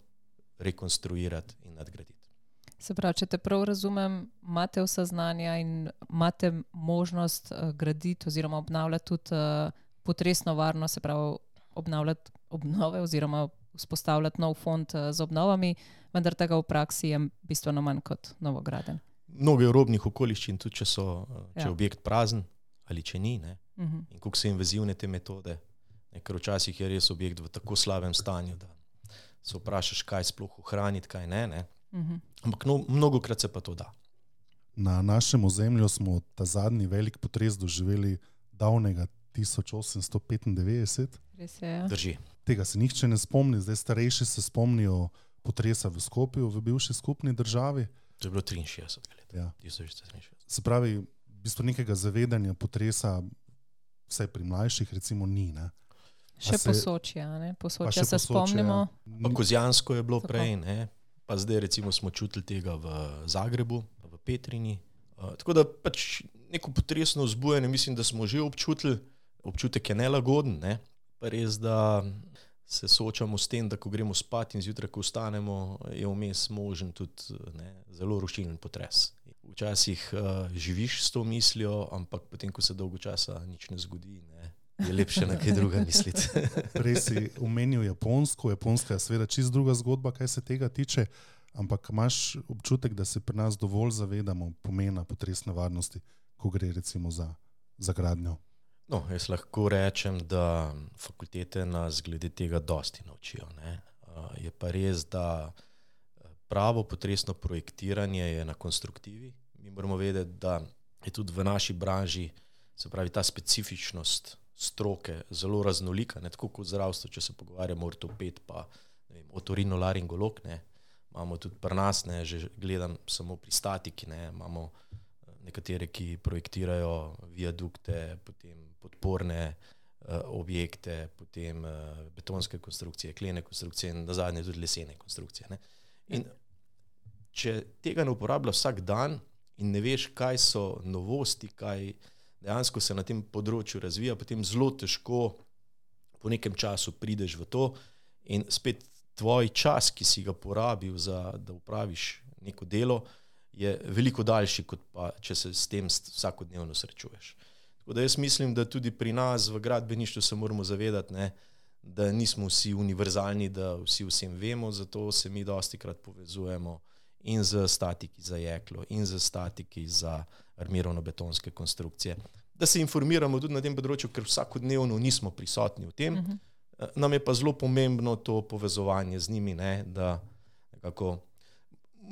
rekonstruirati in nadgraditi. Se pravi, če te prav razumem, imate vsa znanja in imate možnost graditi oziroma obnavljati tudi potresno varno, se pravi obnavljati obnove oziroma vzpostavljati nov fond z obnovami, vendar tega v praksi je bistveno manj kot novograden. Mnogo je robnih okoliščin, tudi če je objekt prazen ali če ni, ne. In koliko so invazivne te metode, ne, ker včasih je res objekt v tako slabem stanju, da se vprašaš, kaj sploh ohraniti, kaj ne. Ampak mnogokrat se pa to da. Na našem ozemlju smo ta zadnji velik potres doživeli davnega 1895. Res je, ja. Drži. Tega se nihče ne spomni, zdaj starejši se spomnijo potresa v Skopju, v bivši skupni državi. To je bilo 63 let. Ja. 1963. Se pravi, v bistvu nekega zavedanja potresa, vsaj pri mlajših recimo ni, ne. Še Posočje, ne? Posočje se spomnimo. Pa Kozjansko je bilo prej, ne. Pa zdaj recimo smo čutili tega v Zagrebu, v Petrini. Tako da pač neko potresno vzbujanje, mislim, da smo že občutili, občutek je nelagoden, ne. Pa res, da se soočamo s tem, da ko gremo spat in zjutraj, ko vstanemo, je vmes možen tudi zelo rušilen potres. Včasih živiš s to mislijo, ampak potem, ko se dolgo časa nič ne zgodi, ne, je lepše na kaj druga misliti. Prej si omenil Japonsko, Japonska je seveda čisto druga zgodba, kaj se tega tiče, ampak imaš občutek, da se pri nas dovolj zavedamo pomena potresne varnosti, ko gre recimo za gradnjo? No, jaz lahko rečem, da fakultete nas glede tega dosti naučijo, ne. Je pa res, da pravo potresno projektiranje je na konstruktivi. Mi moramo vedeti, da je tudi v naši branži, se pravi ta specifičnost stroke zelo raznolika, ne, tako kot zdravstvo, če se pogovarjamo ortoped pa otorinolaringolog, ne, imamo tudi pri nas, ne, že gledam samo pri statiki, ne, imamo nekatere, ki projektirajo viadukte, potem podporne objekte, potem betonske konstrukcije, klene konstrukcije in nazadnje tudi lesene konstrukcije, ne. In če tega ne uporablja vsak dan in ne veš, kaj so novosti, kaj dejansko se na tem področju razvija, potem zelo težko po nekem času prideš v to in spet tvoj čas, ki si ga porabil da upraviš neko delo, je veliko daljši, kot pa če se s tem vsakodnevno srečuješ. Tako da jaz mislim, da tudi pri nas v gradbeništvu se moramo zavedati, ne, da nismo vsi univerzalni, da vsi vsem vemo, zato se mi dostikrat povezujemo in z statiki za jeklo, in z statiki za armirano-betonske konstrukcije. Da se informiramo tudi na tem področju, ker vsakodnevno nismo prisotni v tem. Nam je pa zelo pomembno to povezovanje z njimi, ne, da nekako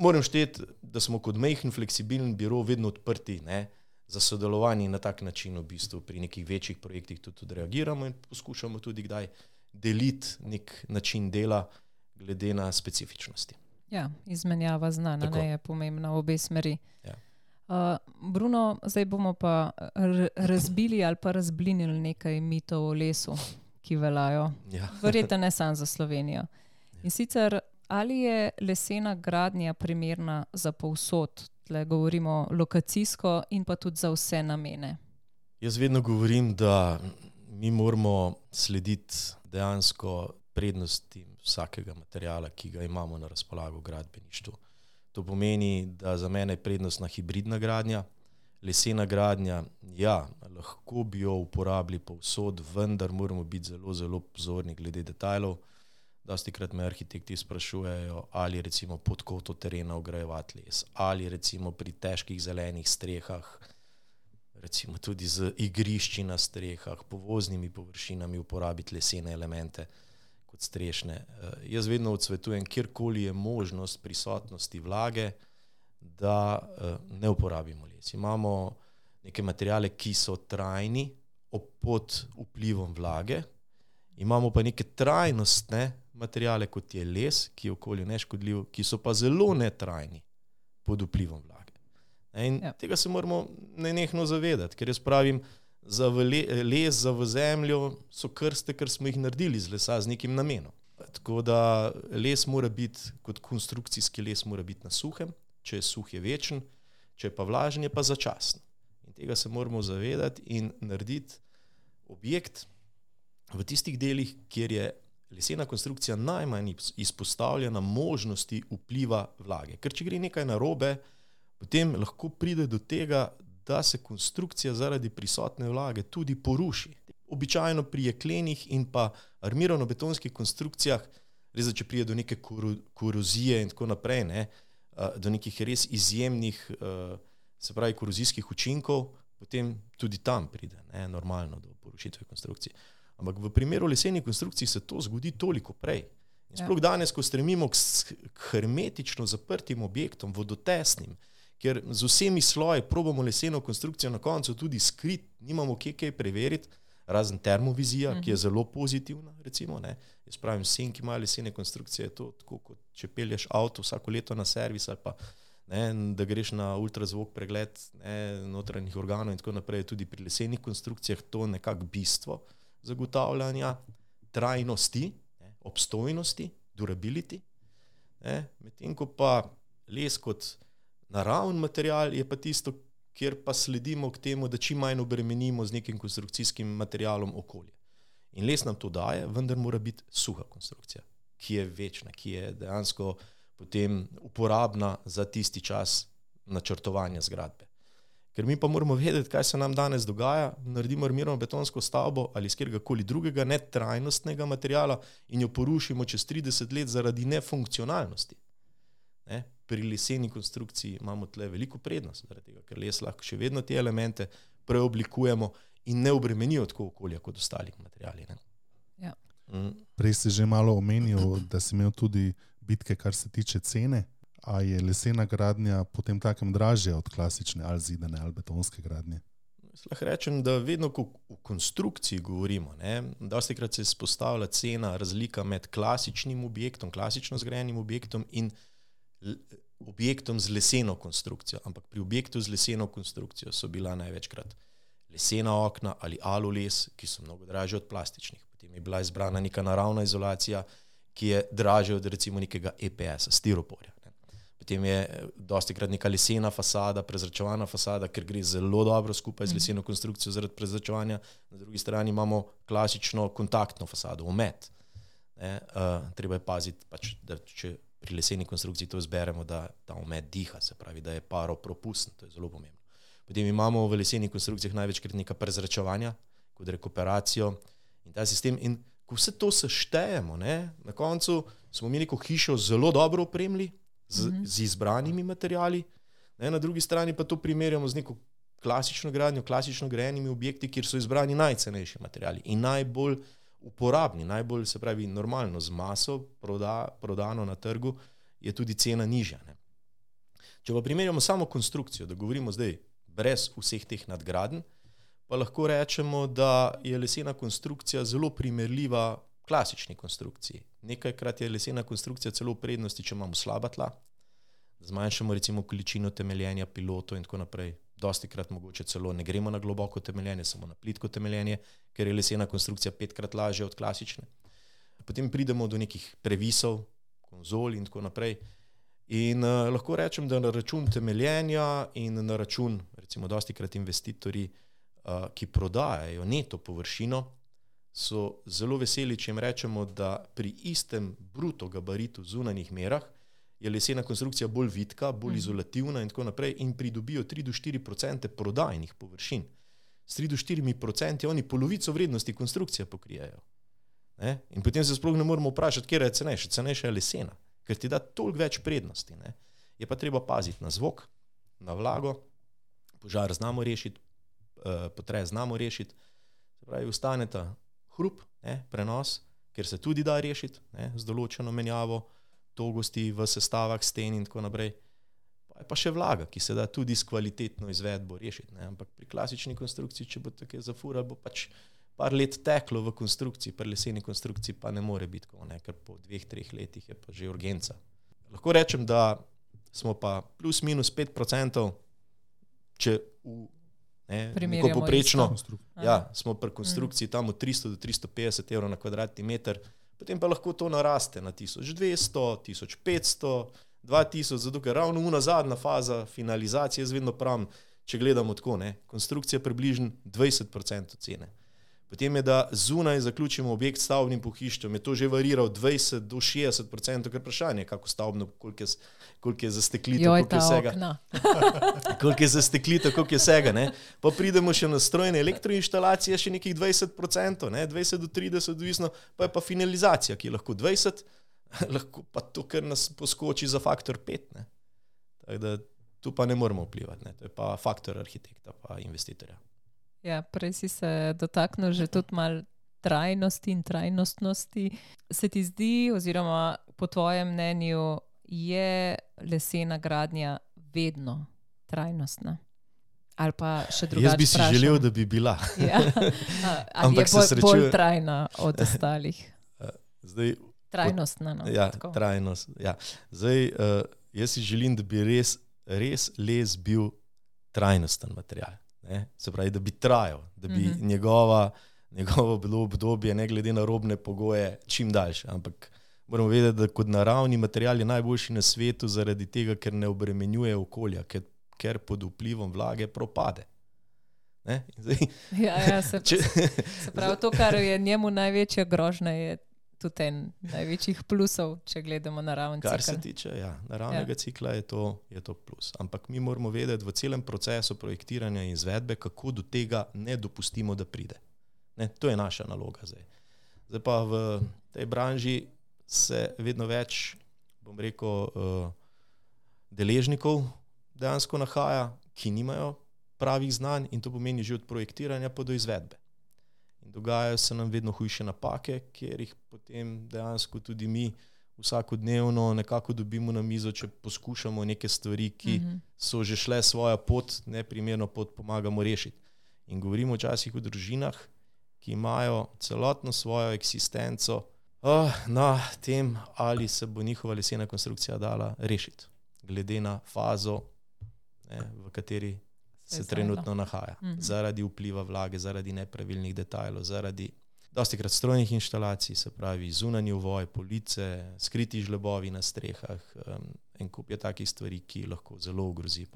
moram šteti, da smo kot majhen fleksibilen biro vedno odprti, ne, za sodelovanje in na tak način v bistvu pri nekih večjih projektih tudi reagiramo in poskušamo tudi kdaj deliti nek način dela glede na specifičnosti. Ja, izmenjava znanja je pomembna v obe smeri. Ja. Bruno, zdaj bomo pa razbili ali pa razblinili nekaj mitov o lesu, ki veljajo. Ja. Verjetno ne samo za Slovenijo. In sicer, ali je lesena gradnja primerna za povsod? Tle govorimo lokacijsko in pa tudi za vse namene. Jaz vedno govorim, da mi moramo slediti dejansko prednosti vsakega materiala, ki ga imamo na razpolago v gradbeništvu. To pomeni, da za mene je prednostna hibridna gradnja. Lesena gradnja, ja, lahko bi jo uporabili povsod, vendar moramo biti zelo, zelo pozorni glede detajlov. Dostikrat me arhitekti sprašujejo, ali recimo pod koto terena vgrajevati les, ali recimo pri težkih zelenih strehah, recimo tudi z igrišči na strehah, povoznimi površinami uporabiti lesene elemente kot strešne. Jaz vedno odsvetujem, kjerkoli je možnost prisotnosti vlage, da ne uporabimo les. Imamo neke materiale, ki so trajni pod vplivom vlage, imamo pa neke trajnostne materiale, kot je les, ki je okolju neškodljiv, ki so pa zelo netrajni pod vplivom vlage. In tega se moramo nenehno zavedati, ker jaz pravim, za les, za v zemljo so krste, ker smo jih naredili z lesa z nekim namenom. Tako da les mora biti, kot konstrukcijski les mora biti na suhem, če je suh je večen, če je pa vlažen je pa začasen. In tega se moramo zavedati in narediti objekt v tistih delih, kjer je lesena konstrukcija najmanj izpostavljena možnosti vpliva vlage. Ker če gre nekaj narobe, potem lahko pride do tega, da se konstrukcija zaradi prisotne vlage tudi poruši. Običajno pri jeklenih in pa armirano-betonskih konstrukcijah, res da če pride do neke korozije in tako naprej, ne, do nekih res izjemnih, se pravi, korozijskih učinkov, potem tudi tam pride, ne, normalno do porušitve konstrukcije. Ampak v primeru lesenih konstrukcij se to zgodi toliko prej. In sploh danes, ko stremimo k hermetično zaprtim objektom, vodotesnim, ker z vsemi sloji probamo leseno konstrukcijo na koncu tudi skrit, nimamo kaj preveriti, razen termovizija, ki je zelo pozitivna, recimo, ne. Jaz pravim, vsem, ki imajo lesene konstrukcije, je to tako, kot če pelješ avto vsako leto na servis ali pa, ne, da greš na ultrazvok pregled, ne, notranjih organov in tako naprej, tudi pri lesenih konstrukcijah to nekako bistvo zagotavljanja trajnosti, ne, obstojnosti, durability, ne, medtem ko pa les kot naravni material je pa tisto, kjer pa sledimo k temu, da čim manj obremenimo z nekim konstrukcijskim materialom okolje. In les nam to daje, vendar mora biti suha konstrukcija, ki je večna, ki je dejansko potem uporabna za tisti čas načrtovanja zgradbe. Ker mi pa moramo vedeti, kaj se nam danes dogaja, naredimo armirano-betonsko stavbo ali iz kjerkoli drugega netrajnostnega materiala in jo porušimo čez 30 let zaradi nefunkcionalnosti. Ne? Pri leseni konstrukciji imamo tle veliko prednost, tega, ker les lahko še vedno te elemente preoblikujemo in ne obremenijo tako okolja kot ostali materiali. Ne? Ja. Prej si že malo omenil, da si imel tudi bitke, kar se tiče cene. A je lesena gradnja potem takem dražja od klasične ali zidane ali betonske gradnje? Lahko rečem, da vedno, ko v konstrukciji govorimo, dostikrat se izpostavlja cena, razlika med klasičnim objektom, klasično zgrajenim objektom in objektom z leseno konstrukcijo. Ampak pri objektu z leseno konstrukcijo so bila največkrat lesena okna ali alules, ki so mnogo dražje od plastičnih. Potem je bila izbrana neka naravna izolacija, ki je dražja od recimo nekega EPS-a, stiroporja. Potem je dostikrat neka lesena fasada, prezračevana fasada, ker gre zelo dobro skupaj z leseno konstrukcijo zaradi prezračevanja. Na drugi strani imamo klasično kontaktno fasado, omet. Treba je paziti, pač, da če pri leseni konstrukciji to izberemo, da ta omet diha, se pravi, da je paropropusten, to je zelo pomembno. Potem imamo v lesenih konstrukcijah največkrat neka prezračevanja, kot rekuperacijo in ta sistem. In ko vse to seštejemo, ne, na koncu smo mi neko hišo zelo dobro opremili, z izbranimi materiali, ne, na drugi strani pa to primerjamo z neko klasično gradnjo, klasično grajenimi objekti, kjer so izbrani najcenejši materiali in najbolj uporabni, najbolj, se pravi, normalno z maso prodano na trgu, je tudi cena nižja. Ne. Če pa primerjamo samo konstrukcijo, da govorimo zdaj brez vseh teh nadgradenj, pa lahko rečemo, da je lesena konstrukcija zelo primerljiva klasični konstrukciji. Nekajkrat je lesena konstrukcija celo v prednosti, če imamo slaba tla, zmanjšamo recimo količino temeljenja pilotov in tako naprej. Dostikrat mogoče celo ne gremo na globoko temeljenje, samo na plitko temeljenje, ker je lesena konstrukcija 5-krat lažja od klasične. Potem pridemo do nekih previsov, konzol in tako naprej. In lahko rečem, da na račun temeljenja in na račun, recimo dostikrat investitorji, ki prodajajo neto površino, so zelo veseli, če jim rečemo, da pri istem bruto gabaritu zunanjih merah je lesena konstrukcija bolj vitka, bolj izolativna in tako naprej in pridobijo 3-4% prodajnih površin. S 3-4% oni polovico vrednosti konstrukcije pokrijajo. Ne? In potem se sploh ne moramo vprašati, kje je cenejša. Cenejša je lesena, ker ti da toliko več prednosti. Ne? Je pa treba paziti na zvok, na vlago, požar znamo rešiti, potres znamo rešiti, se pravi, ustaneta hrup, ne, prenos, ker se tudi da rešiti, ne, z določeno menjavo togosti v sestavah sten in tako naprej. Pa še vlaga, ki se da tudi s kvalitetno izvedbo rešiti. Ne. Ampak pri klasični konstrukciji, če bo tako zafurali, bo pač par let teklo v konstrukciji, pri leseni konstrukciji pa ne more biti, ker po 2-3 letih je pa že urgenca. Lahko rečem, da smo pa plus minus 5%, če neko poprečno, smo pri konstrukciji tam od 300 do 350 evrov na kvadratni meter, potem pa lahko to naraste na 1200, 1500, 2000, zato ker ravno zadnja faza finalizacije, jaz vedno pravim, če gledamo tako, ne, konstrukcija približno 20% cene. Potem je, da zunaj zaključimo objekt s stavbnim pohištvom, je to že variral 20 do 60%, ker vprašanje, kako stavbno, koliko je zasteklitev, koliko je vsega. Koliko je zasteklitev, koliko je vsega, ne. Pa pridemo še na strojne elektroinštalacije, še nekih 20%, ne, 20 do 30, odvisno, pa je pa finalizacija, ki je lahko 20, lahko pa to, ker nas poskoči za faktor 5, ne. Tako da tu pa ne moramo vplivati, ne. To je pa faktor arhitekta pa investitorja. Ja, prej si se dotaknil že tudi malo trajnosti in trajnostnosti. Se ti zdi, oziroma po tvojem mnenju, je lesena gradnja vedno trajnostna? Ali pa še drugače vprašam? Jaz bi si želel, da bi bila. Ja. Ali je bolj trajna od ostalih? Trajnostna, no. Ja, trajnost. Ja. Zdaj, jaz si želim, da bi res les bil trajnosten material. Ne? Se pravi, da bi trajal, da bi njegovo bilo obdobje, ne glede na robne pogoje, čim daljše. Ampak moramo vedeti, da kot naravni material je najboljši na svetu zaradi tega, ker ne obremenjuje okolja, ker pod vplivom vlage propade. Ne? Zdaj, se pravi, to, kar je njemu največja grožnja, je tudi en največjih plusov, če gledamo naravni cikl. Kar se tiče naravnega cikla, je to plus. Ampak mi moramo vedeti v celem procesu projektiranja in izvedbe, kako do tega ne dopustimo, da pride. Ne, to je naša naloga zdaj. Zdaj pa v tej branži se vedno več, bom rekel, deležnikov dejansko nahaja, ki nimajo pravih znanj in to pomeni že od projektiranja pa do izvedbe. Dogajajo se nam vedno hujše napake, kjer jih potem dejansko tudi mi vsakodnevno nekako dobimo na mizo, če poskušamo neke stvari, ki so že šle svojo pot, neprimerno pot, pomagamo rešiti. In govorimo včasih o družinah, ki imajo celotno svojo eksistenco na tem, ali se bo njihova lesena konstrukcija dala rešiti, glede na fazo, v kateri se trenutno nahaja. Zaradi vpliva vlage, zaradi nepravilnih detajlov, zaradi dostikrat strojnih inštalacij, se pravi zunanji ovoj, police, skriti žlebovi na strehah, en kup je takih stvari, ki lahko zelo ogrozi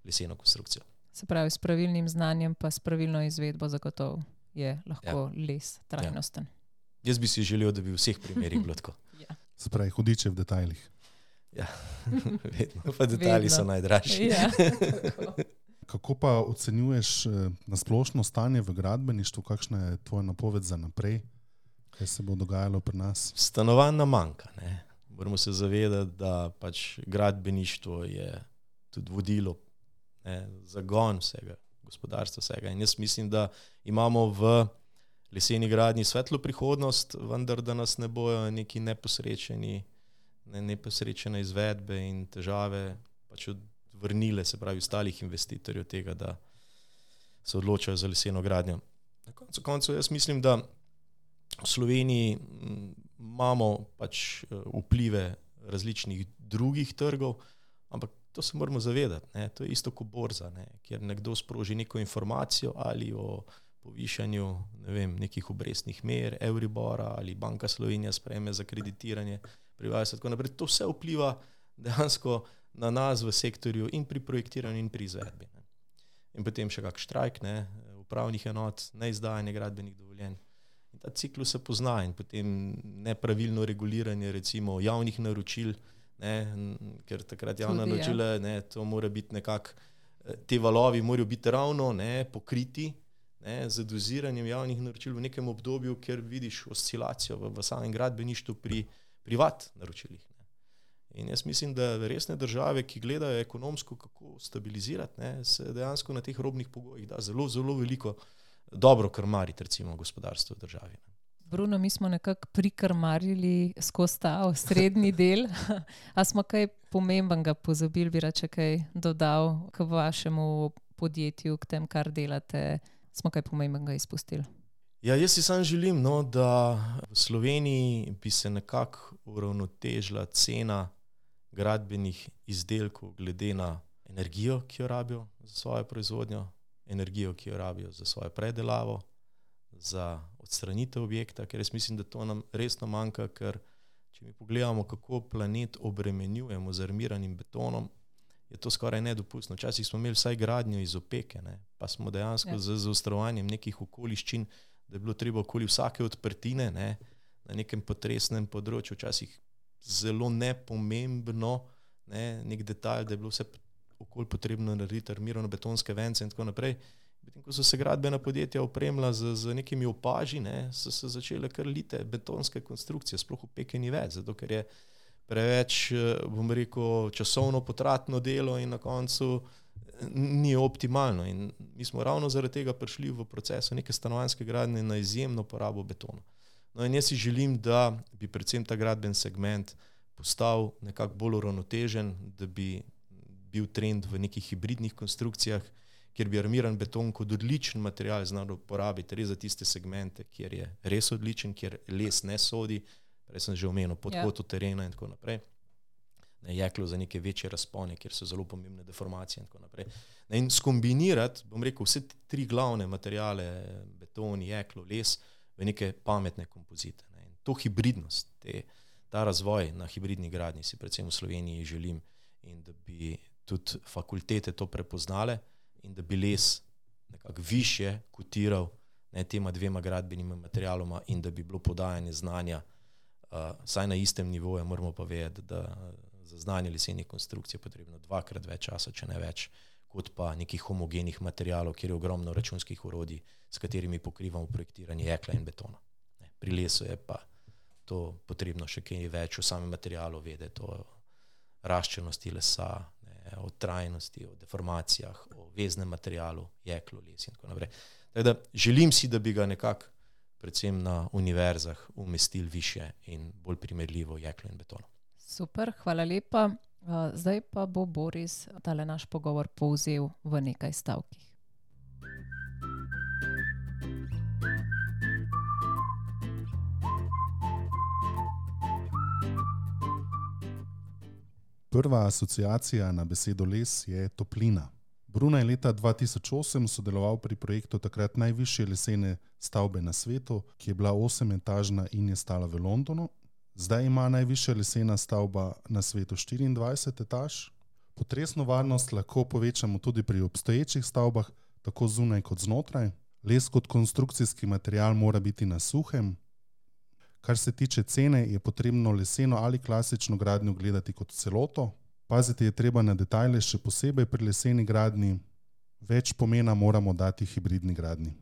leseno konstrukcijo. Se pravi, s pravilnim znanjem pa s pravilno izvedbo zagotovo je lahko les trajnosten. Ja. Jaz bi si želel, da bi v vseh primerih bilo tako. Se pravi, hudiče v detajlih. Ja, vedno. Pa detajli so najdražji. Ja, Kako pa ocenjuješ nasplošno stanje v gradbeništvu? Kakšna je tvoja napoved za naprej? Kaj se bo dogajalo pri nas? Stanovanj nam manjka. Ne? Moramo se zavedati, da pač gradbeništvo je tudi vodilo, zagon vsega, gospodarstva vsega. In jaz mislim, da imamo v leseni gradnji svetlo prihodnost, vendar da nas ne bojo neki neposrečene izvedbe in težave pač odvrnile, se pravi, ostalih investitorjev tega, da se odločajo za leseno gradnjo. Na koncu jaz mislim, da v Sloveniji imamo pač vplive različnih drugih trgov, ampak to se moramo zavedati, to je isto kot borza, kjer nekdo sproži neko informacijo ali o povišanju, nekih obrestnih mer, Euribora ali Banka Slovenija sprejme za kreditiranje prebivalstva, tako naprej. To vse vpliva dejansko na nas v sektorju in pri projektiranju in pri izvedbi. In potem še kak štrajk, upravnih enot, neizdajanje gradbenih dovoljenj. In ta ciklus se pozna in potem nepravilno reguliranje recimo javnih naročil, ker takrat javna naročila, to mora biti nekako, te valovi morajo biti ravno pokriti z doziranjem javnih naročil v nekem obdobju, ker vidiš oscilacijo v samem gradbeništvu pri privat naročilih. In jaz mislim, da resne države, ki gledajo ekonomsko, kako stabilizirati, se dejansko na teh robnih pogojih da zelo, zelo veliko dobro krmariti recimo gospodarstvo v državi. Bruno, mi smo nekako prikrmarili skozi ta srednji del. A smo kaj pomembnega pozabili, bi rače kaj dodal k vašemu podjetju, k tem, kar delate? Smo kaj pomembnega izpustili? Ja, jaz si sam želim, da v Sloveniji bi se nekako uravnotežila cena gradbenih izdelkov glede na energijo, ki jo rabijo za svojo proizvodnjo, energijo, ki jo rabijo za svojo predelavo, za odstranitev objekta, ker jaz mislim, da to nam resno manjka, ker če mi pogledamo, kako planet obremenjujemo z armiranim betonom, je to skoraj nedopustno. Včasih smo imeli vsaj gradnjo iz opeke, pa smo dejansko z zaostrovanjem nekih okoliščin, da je bilo treba okoli vsake odprtine na nekem potresnem področju, včasih zelo nepomembno, nek detalj, da je bilo vse okoli potrebno narediti armirano betonske vence in tako naprej. Potem, ko so se gradbena podjetja opremila z nekimi opaži, so se začele kar lite betonske konstrukcije, sploh opeke ni več, zato ker je preveč, bom rekel, časovno potratno delo in na koncu ni optimalno. In mi smo ravno zaradi tega prišli v procesu neke stanovanjske gradnje na izjemno porabo betona. No in jaz si želim, da bi predvsem ta gradben segment postal nekako bolj uravnotežen, da bi bil trend v nekih hibridnih konstrukcijah, kjer bi armiran beton kot odličen material znal uporabiti res za tiste segmente, kjer je res odličen, kjer les ne sodi, prej sem že omenil, podkotu terena in tako naprej. Jeklo za neke večje razpone, kjer so zelo pomembne deformacije in tako naprej. In skombinirati, bom rekel, vse tri glavne materiale, beton, jeklo, les, v neke pametne kompozite. In to hibridnost, ta razvoj na hibridni gradnji si predvsem v Sloveniji želim in da bi tudi fakultete to prepoznale in da bi les nekako više kotiral tema dvema gradbenima materialoma in da bi bilo podajanje znanja saj na istem nivoju. Moramo pa vedeti, da za znanje lesenih konstrukcij je potrebno 2x več časa, če ne več, kot pa nekih homogenih materialov, kjer je ogromno računskih orodij, s katerimi pokrivamo projektiranje jekla in betona. Pri lesu je pa to potrebno še kaj več o samem materialu vedeti, o raščenosti lesa, o trajnosti, o deformacijah, o veznem materialu, jeklu, les in tako naprej. Tako da želim si, da bi ga nekako predvsem na univerzah umestili više in bolj primerljivo jeklo in betono. Super, hvala lepa. Zdaj pa bo Boris tale naš pogovor povzel v nekaj stavkih. Prva asociacija na besedo les je toplina. Bruno je leta 2008 sodeloval pri projektu takrat najvišje lesene stavbe na svetu, ki je bila 8-etažna in je stala v Londonu. Zdaj ima najvišja lesena stavba na svetu 24 etaž. Potresno varnost lahko povečamo tudi pri obstoječih stavbah, tako zunaj kot znotraj. Les kot konstrukcijski material mora biti na suhem. Kar se tiče cene, je potrebno leseno ali klasično gradnjo gledati kot celoto. Paziti je treba na detajle, še posebej pri leseni gradnji. Več pomena moramo dati hibridni gradnji.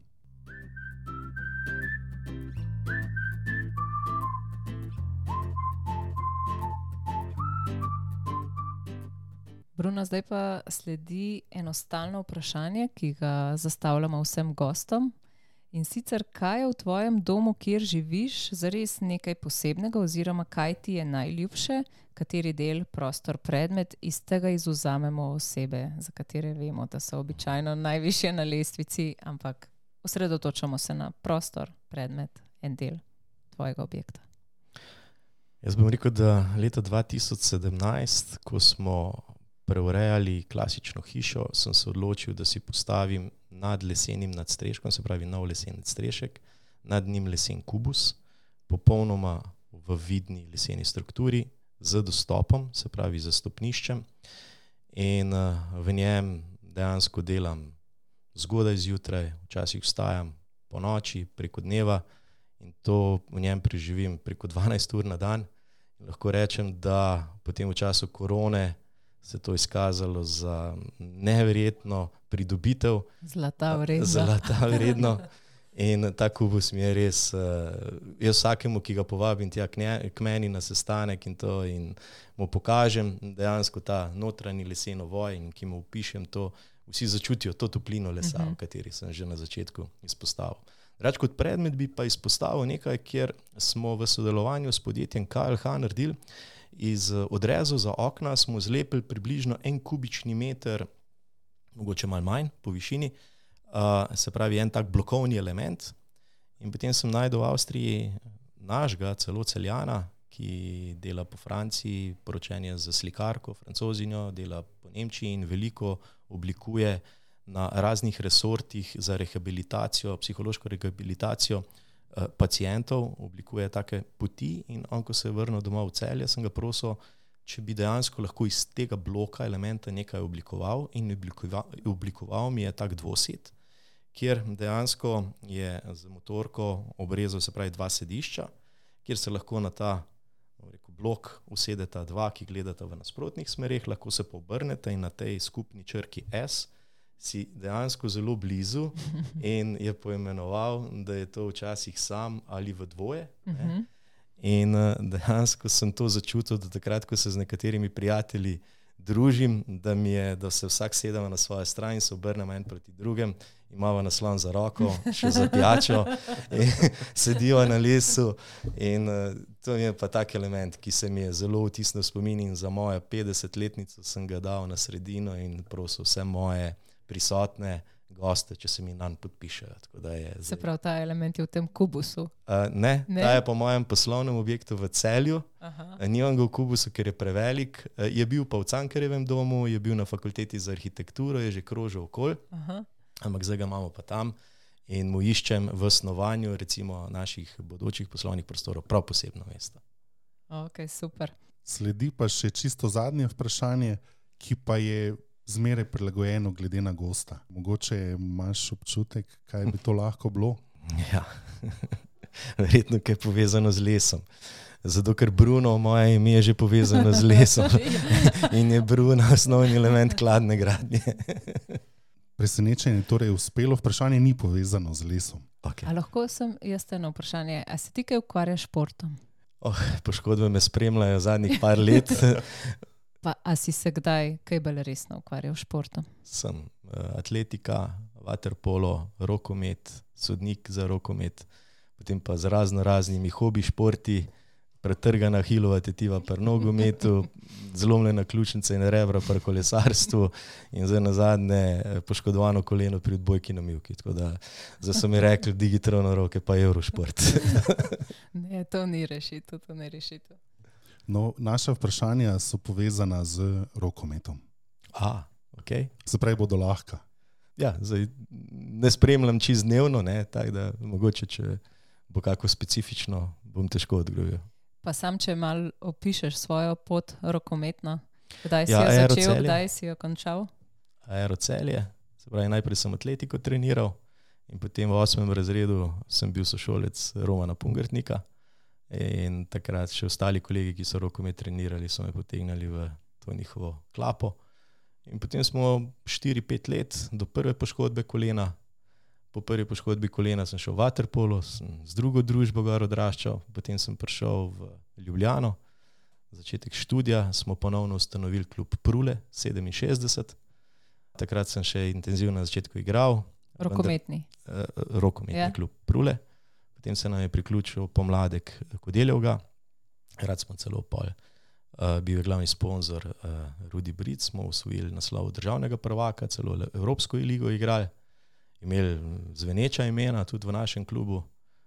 Bruno, zdaj pa sledi enostavno vprašanje, ki ga zastavljamo vsem gostom. In sicer, kaj je v tvojem domu, kjer živiš, zares nekaj posebnega oziroma kaj ti je najljubše, kateri del, prostor, predmet, iz tega izvzamemo osebe, za katere vemo, da so običajno najvišje na lestvici, ampak osredotočamo se na prostor, predmet, en del tvojega objekta. Jaz bom rekel, da leta 2017, ko smo preurejali klasično hišo, sem se odločil, da si postavim nad lesenim nadstreškom, se pravi nov lesen nadstrešek, nad njim lesen kubus, popolnoma v vidni leseni strukturi, z dostopom, se pravi z stopniščem, in v njem dejansko delam zgodaj zjutraj, včasih vstajam po noči, preko dneva, in to v njem preživim preko 12 ur na dan. In lahko rečem, da potem v času korone se to izkazalo za neverjetno pridobitev. Zlata vredno. Zlata vredno. In ta kubus mi je res, jaz vsakemu, ki ga povabim tja k meni na sestanek in mu pokažem dejansko ta notranji lesen ovoj in ki mu opišem to, vsi začutijo to toplino lesa, o kateri sem že na začetku izpostavil. Drugače kot predmet bi pa izpostavil nekaj, kjer smo v sodelovanju s podjetjem KLH naredili. Iz odrezov za okna smo zlepili približno 1 kubični meter, mogoče malo manj po višini, se pravi en tak blokovni element. In potem sem našel v Avstriji našega, celo Celjana, ki dela po Franciji, poročen je z slikarko, Francozinjo, dela po Nemčiji in veliko oblikuje na raznih resortih za rehabilitacijo, psihološko rehabilitacijo pacientov, oblikuje take poti. In on, ko se je vrnil domov v Celje, sem ga prosil, če bi dejansko lahko iz tega bloka elementa nekaj oblikoval, in oblikoval mi je tak dvosed, kjer dejansko je z motorko obrezal, se pravi 2 sedišča, kjer se lahko na ta blok usedeta 2, ki gledata v nasprotnih smereh, lahko se pa obrnete in na tej skupni črki S si dejansko zelo blizu, in je poimenoval, da je to včasih sam ali v dvoje. In dejansko sem to začutil, da takrat, ko se z nekaterimi prijatelji družim, da se vsak sedemo na svojo stran in se obrnemo en proti drugem, imamo naslon za roko, še za pijačo, in sedijo na lesu. In to je pa tak element, ki se mi je zelo vtisnil v spomin, in za mojo 50-letnico sem ga dal na sredino in prosil vse moje prisotne goste, če se mi nanj podpišejo. Se pravi, ta element je v tem kubusu? Ne, ta je po mojem poslovnem objektu v Celju. Nimam ga v kubusu, ker je prevelik. Je bil pa v Cankarjevem domu, je bil na fakulteti za arhitekturo, je že krožil okoli, ampak zdaj ga imamo pa tam in mu iščem v snovanju recimo naših bodočih poslovnih prostorov prav posebno mesto. Ok, super. Sledi pa še čisto zadnje vprašanje, ki pa je zmeraj prilagojeno glede na gosta. Mogoče imaš občutek, kaj bi to lahko bilo? Ja, verjetno kaj povezano z lesom. Zato, ker Bruno, moje ime je že povezano z lesom in je Bruno osnovni element kladne gradnje. Presenečenje, torej uspelo vprašanje ni povezano z lesom. Okay. A lahko sem jaz eno vprašanje, a se ti kaj ukvarjaš športom? Poškodbe me spremljajo zadnjih par let. Pa a si se kdaj kaj bolj resno ukvarjal s športom? Sem atletika, vaterpolo, rokomet, sodnik za rokomet, potem pa z raznimi hobi športi, pretrgana hilova tetiva pri nogometu, zlomljena ključnica in rebra pri kolesarstvu in zdaj nazadnje poškodovano koleno pri odbojki na mivki. Tako da zdaj so mi rekli digitalno roke pa Eurošport. Ne, to ni rešitev, to ni rešitev. No, naša vprašanja so povezana z rokometom. Okay. Se pravi, bodo lahka. Ja, zdaj ne spremljam čisto dnevno, tako da mogoče, če bo kako specifično, bom težko odgovoril. Pa sam, če malo opišeš svojo pot rokometno, kdaj si jo začel, kdaj si jo končal? Aerocelje, se pravi, najprej sem atletiko treniral in potem v 8. razredu sem bil sošolec Romana Pungartnika. In takrat še ostali kolegi, ki so rokomet trenirali, so me potegnali v to njihovo klapo. In potem smo 4-5 let do prve poškodbe kolena. Po prvi poškodbi kolena sem šel v vaterpolo, sem z drugo družbo gor odraščal, potem sem prišel v Ljubljano, začetek študija, smo ponovno ustanovili klub Prule 67. Takrat sem še intenzivno na začetku igral. Rokometni. Rokometni klub Prule. Potem se nam je priključil pomladek Kodeljevga. Rad smo celo bil je glavni sponzor Rudi Bric, smo osvojili naslov državnega prvaka, celo Evropsko ligo igrali. Imeli zveneča imena tudi v našem klubu.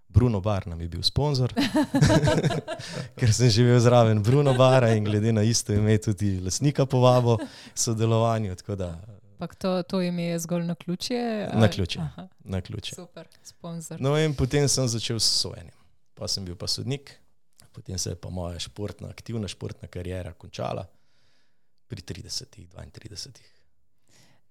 Bruno Bar nam je bil sponzor, ker sem živel zraven Bruno Bara in glede na isto ime tudi lastnika povabo sodelovanju. Pak to ime je zgolj naključje? Naključje. Super, sponzor. No in potem sem začel s sojenjem. Pa sem bil pa sodnik, potem se je pa moja aktivna športna kariera končala pri 30-32.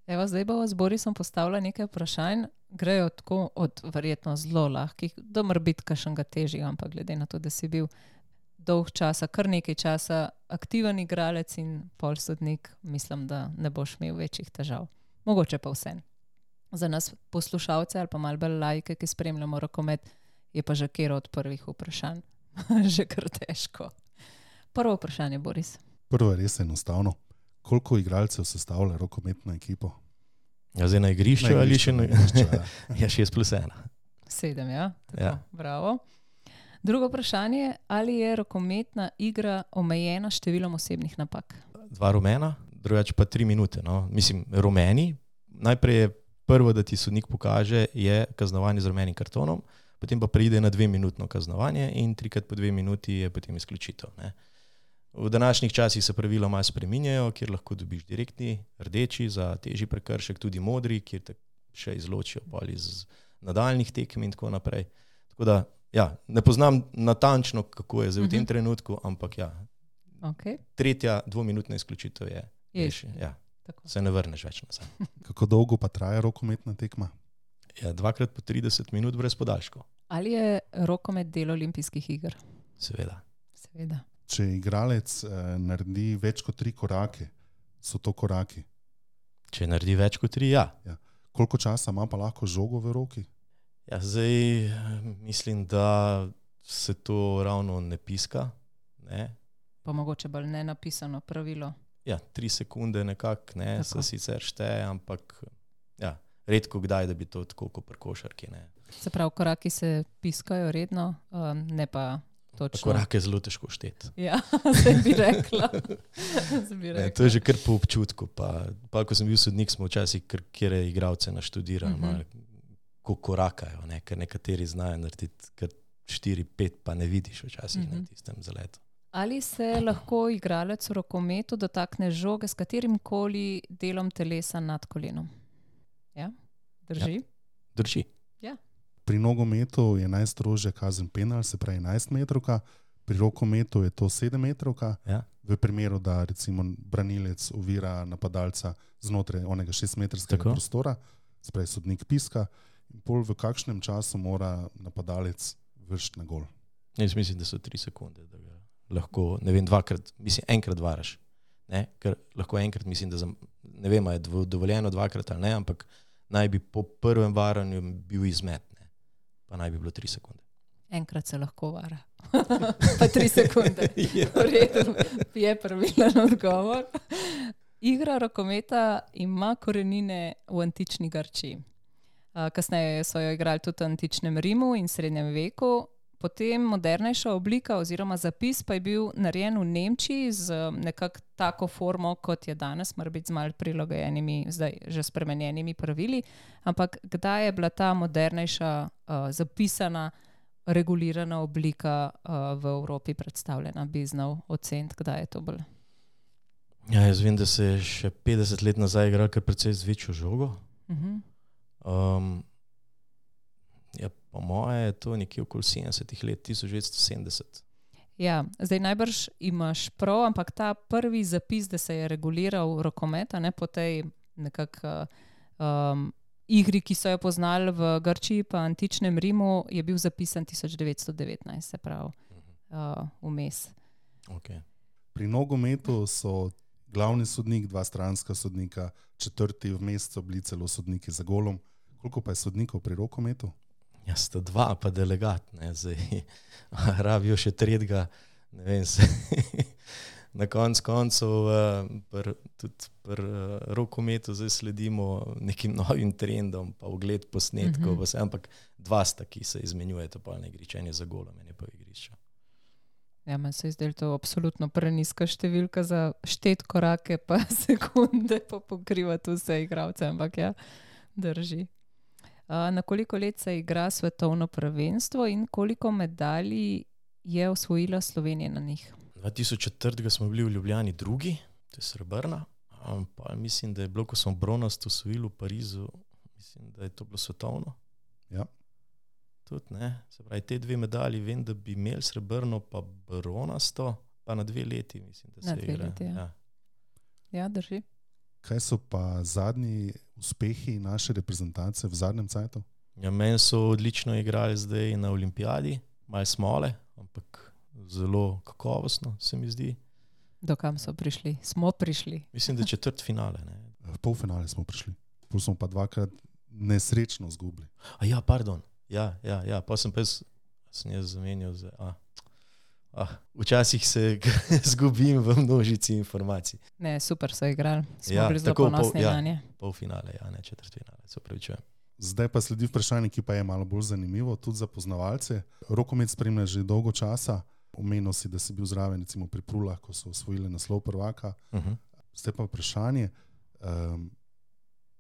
Evo, zdaj bo z Borisom postavila nekaj vprašanj, grejo tako od verjetno zelo lahkih, da mora biti kakšnega težjega, ampak glede na to, da si bil dolg časa, kar nekaj časa aktiven igralec in pol sodnik, mislim, da ne boš imel večjih težav. Mogoče pa vse. Za nas poslušalce ali pa malo bolj laike, ki spremljamo rokomet, je pa že kero od prvih vprašanj. Že kar težko. Prvo vprašanje, Boris. Prvo je res enostavno. Koliko igralcev sestavlja rokometno ekipo? Ja, zdaj na igrišču ali še na igrišču? Ja, 6+1. 7, ja? Tako, ja. Bravo. Drugo vprašanje, ali je rokometna igra omejena številom osebnih napak? 2 rumena, drugače pa 3 minute. No. Mislim, rumeni. Najprej je prvo, da ti sodnik pokaže, je kaznovanje z rumenim kartonom, potem pa pride na 2-minutno kaznovanje in 3x po 2 minuti je potem izključitev. Ne. V današnjih časih se pravila malo spreminjajo, kjer lahko dobiš direktni, rdeči za težji prekršek, tudi modri, kjer te še izločijo iz nadaljnih tekem in tako naprej. Tako da, ja, ne poznam natančno, kako je zdaj v tem trenutku, ampak ja, okay. 3. 2-minutna izključitev je. Ja, se ne vrneš več nazaj. Kako dolgo pa traja rokometna tekma? Ja, 2x po 30 minut brez podaljškov. Ali je rokomet del olimpijskih iger? Seveda. Če igralec naredi več kot 3 korake, so to koraki? Če naredi več kot 3, ja. Koliko časa ima pa lahko žogo v roki? Ja, zdaj mislim, da se to ravno ne piska. Ne? Pa mogoče bolj nenapisano pravilo. Ja, 3 sekunde nekako, ne, se sicer šteje, ampak ja, redko kdaj, da bi to tako kot pri košarki. Ne. Se pravi, koraki se piskajo redno, ne pa točno. Korake je zelo težko šteti. Ja, se bi rekla. Ne, to je že kar po občutku. Pa ko sem bil sodnik, smo včasih kjer igralce naštudirali, ko korakajo, ne, ker nekateri znajo narediti kar 4-5, pa ne vidiš včasih na tistem zaletu. Ali se lahko igralec v rokometu dotakne žoge s katerim koli delom telesa nad kolenom? Ja, drži? Ja, drži. Ja. Pri nogometu je najstrožja kazen penal, se pravi 11 metrovka, pri rokometu je to 7 metrovka. Ja. V primeru, da recimo branilec ovira napadalca znotraj onega 6-metrskega prostora, se pravi sodnik piska, in pol v kakšnem času mora napadalec vršiti na gol? Jaz mislim, da so 3 sekunde, da ga lahko, ne vem, enkrat varaš. Ne? Ker lahko enkrat, mislim, da ne vem, je dovoljeno 2-krat ali ne, ampak naj bi po prvem varanju bil izmet, ne? Pa naj bi bilo 3 sekunde. Enkrat se lahko vara. Pa 3 sekunde. V redu, je pravilen odgovor. Igra rokometa ima korenine v antični Grčiji. Kasneje so jo igrali tudi v antičnem Rimu in srednjem veku. Potem modernejša oblika oziroma zapis pa je bil narejen v Nemčiji z nekako tako formo, kot je danes, mora biti z malo prilagojenimi, zdaj že spremenjenimi pravili. Ampak kdaj je bila ta modernejša zapisana, regulirana oblika v Evropi predstavljena? Bi znal oceniti, kdaj je to bolj? Ja, jaz vem, da se je še 50 let nazaj igral kar precej z večjo žogo. Ja, po moje je to nekje okoli 70 let, 1970. Ja, zdaj najbrž imaš prav, ampak ta prvi zapis, da se je reguliral rokomet, ne, po tej nekako igri, ki so jo poznali v Grčiji pa antičnem Rimu, je bil zapisan 1919, se pravi, vmes. Okay. Pri nogometu so glavni sodnik, 2 stranska sodnika, 4. vmes so bili celo sodniki za golom. Koliko pa je sodnikov pri rokometu? Ja, sta 2, pa delegat, ne, zdaj rabijo še 3, ne vem, na koncu tudi pri rokometu zdaj sledimo nekim novim trendom, pa ogled posnetkov, ampak 2 sta, ki se izmenjujeta pa na igrišču, en je za golom, en je pa v igrišču. Ja, meni se je zdelo to absolutno preniska številka za šteti korake pa sekunde pa pokrivati vse igralce, ampak ja, drži. Na koliko let se igra svetovno prvenstvo in koliko medalj je osvojila Slovenija na njih? 2004 smo bili v Ljubljani drugi, to je srebrna, pa mislim, da je bilo, ko smo bronast osvojili v Parizu, mislim, da je to bilo svetovno. Ja. Tudi, ne. Se pravi, te 2 medalji vem, da bi imeli srebrno pa bronasto, pa na 2 leti, mislim, da se igra. Na 2 leti, ja. Ja, drži. Kaj so pa zadnji uspehi naše reprezentance v zadnjem cajtu? Ja, meni so odlično igrali zdaj na olimpijadi, malo smole, ampak zelo kakovostno, se mi zdi. Do kam so prišli? Smo prišli. Mislim, da četrtfinale, ne. V polfinale smo prišli. Pol smo pa 2-krat nesrečno zgubili. Ja, pardon. Ja, pa sem jaz zamenjal včasih se zgubim v množici informacij. Ne, super so igrali. Smo bili zelo ponosni na nje. Polfinale, ne četrtfinale, se opravičujem. Zdaj pa sledi vprašanje, ki pa je malo bolj zanimivo, tudi za poznavalce. Rokomet spremlja že dolgo časa. Omenil si, da si bil zraven recimo pri Prulah, ko so osvojili naslov prvaka. Zdaj pa vprašanje,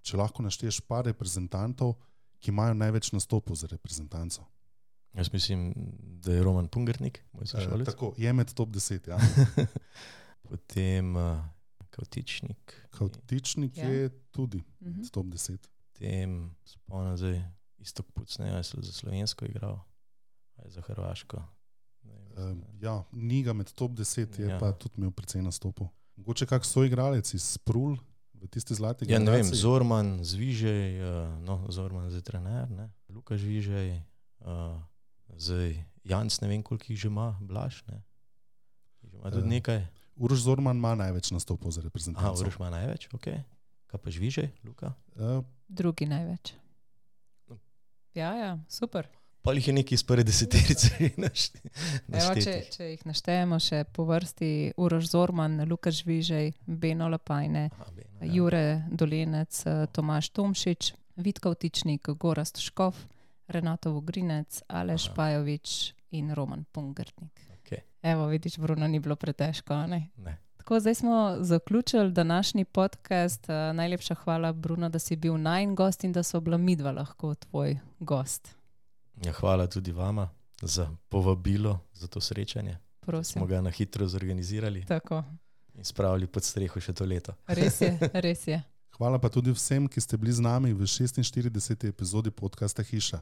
če lahko našteješ par reprezentantov, ki imajo največ nastopov za reprezentanco. Jaz mislim, da je Roman Pungartnik, moj sošolec. Tako, je med top 10, ja. Potem Kavtičnik. Kavtičnik je tudi med top 10. Potem spomnim zdaj Istok Pucnej, je za slovensko igral, ali za hrvaško. Ja, ni ga med top 10, je pa tudi imel precej nastopov. Mogoče kak soigralec iz Prul v tisti zlati generaciji? Ja, ne vem, Zorman, Zvižej, Zorman zdaj trener, ne? Luka Zvižej, zdaj Janc, ne vem, koliko jih že ima, Blaž, ne? Že ima tudi nekaj. Uroš Zorman ima največ nastopov za reprezentanco. Uroš ima največ, ok. Kaj pa Zvižej, Luka? Drugi največ. Ja, super. Pa jih je nekaj iz prve deseterice naštetih. Če jih naštejemo še po vrsti, Uroš Zorman, Luka Žvižej, Beno Lapajne, Jure Dolenec, Tomaž Tomšič, Vid Kavtičnik, Gorazd Škof, Renato Vogrinec, Aleš Pajovič in Roman Pungartnik. Evo, vidiš, Bruno, ni bilo pretežko, ne? Ne. Tako, zdaj smo zaključili današnji podcast. Najlepša hvala, Bruno, da si bil najin gost in da so bila midva lahko tvoj gost. Ja, hvala tudi vama za povabilo, za to srečanje. Prosim. Smo ga na hitro zorganizirali. Tako. In spravili pod streho še to leto. Res je. Hvala pa tudi vsem, ki ste bili z nami v 46. epizodi podcasta Hiša.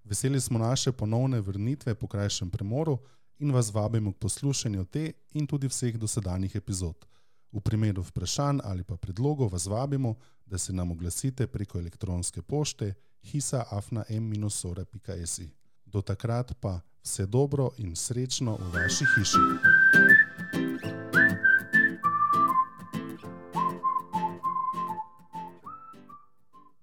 Veseli smo naše ponovne vrnitve po krajšem premoru in vas vabimo k poslušanju te in tudi vseh dosedanjih epizod. V primeru vprašanj ali pa predlogov vas vabimo, da se nam oglasite preko elektronske pošte hisa@m-sora.si. Do takrat pa vse dobro in srečno v vaši hiši.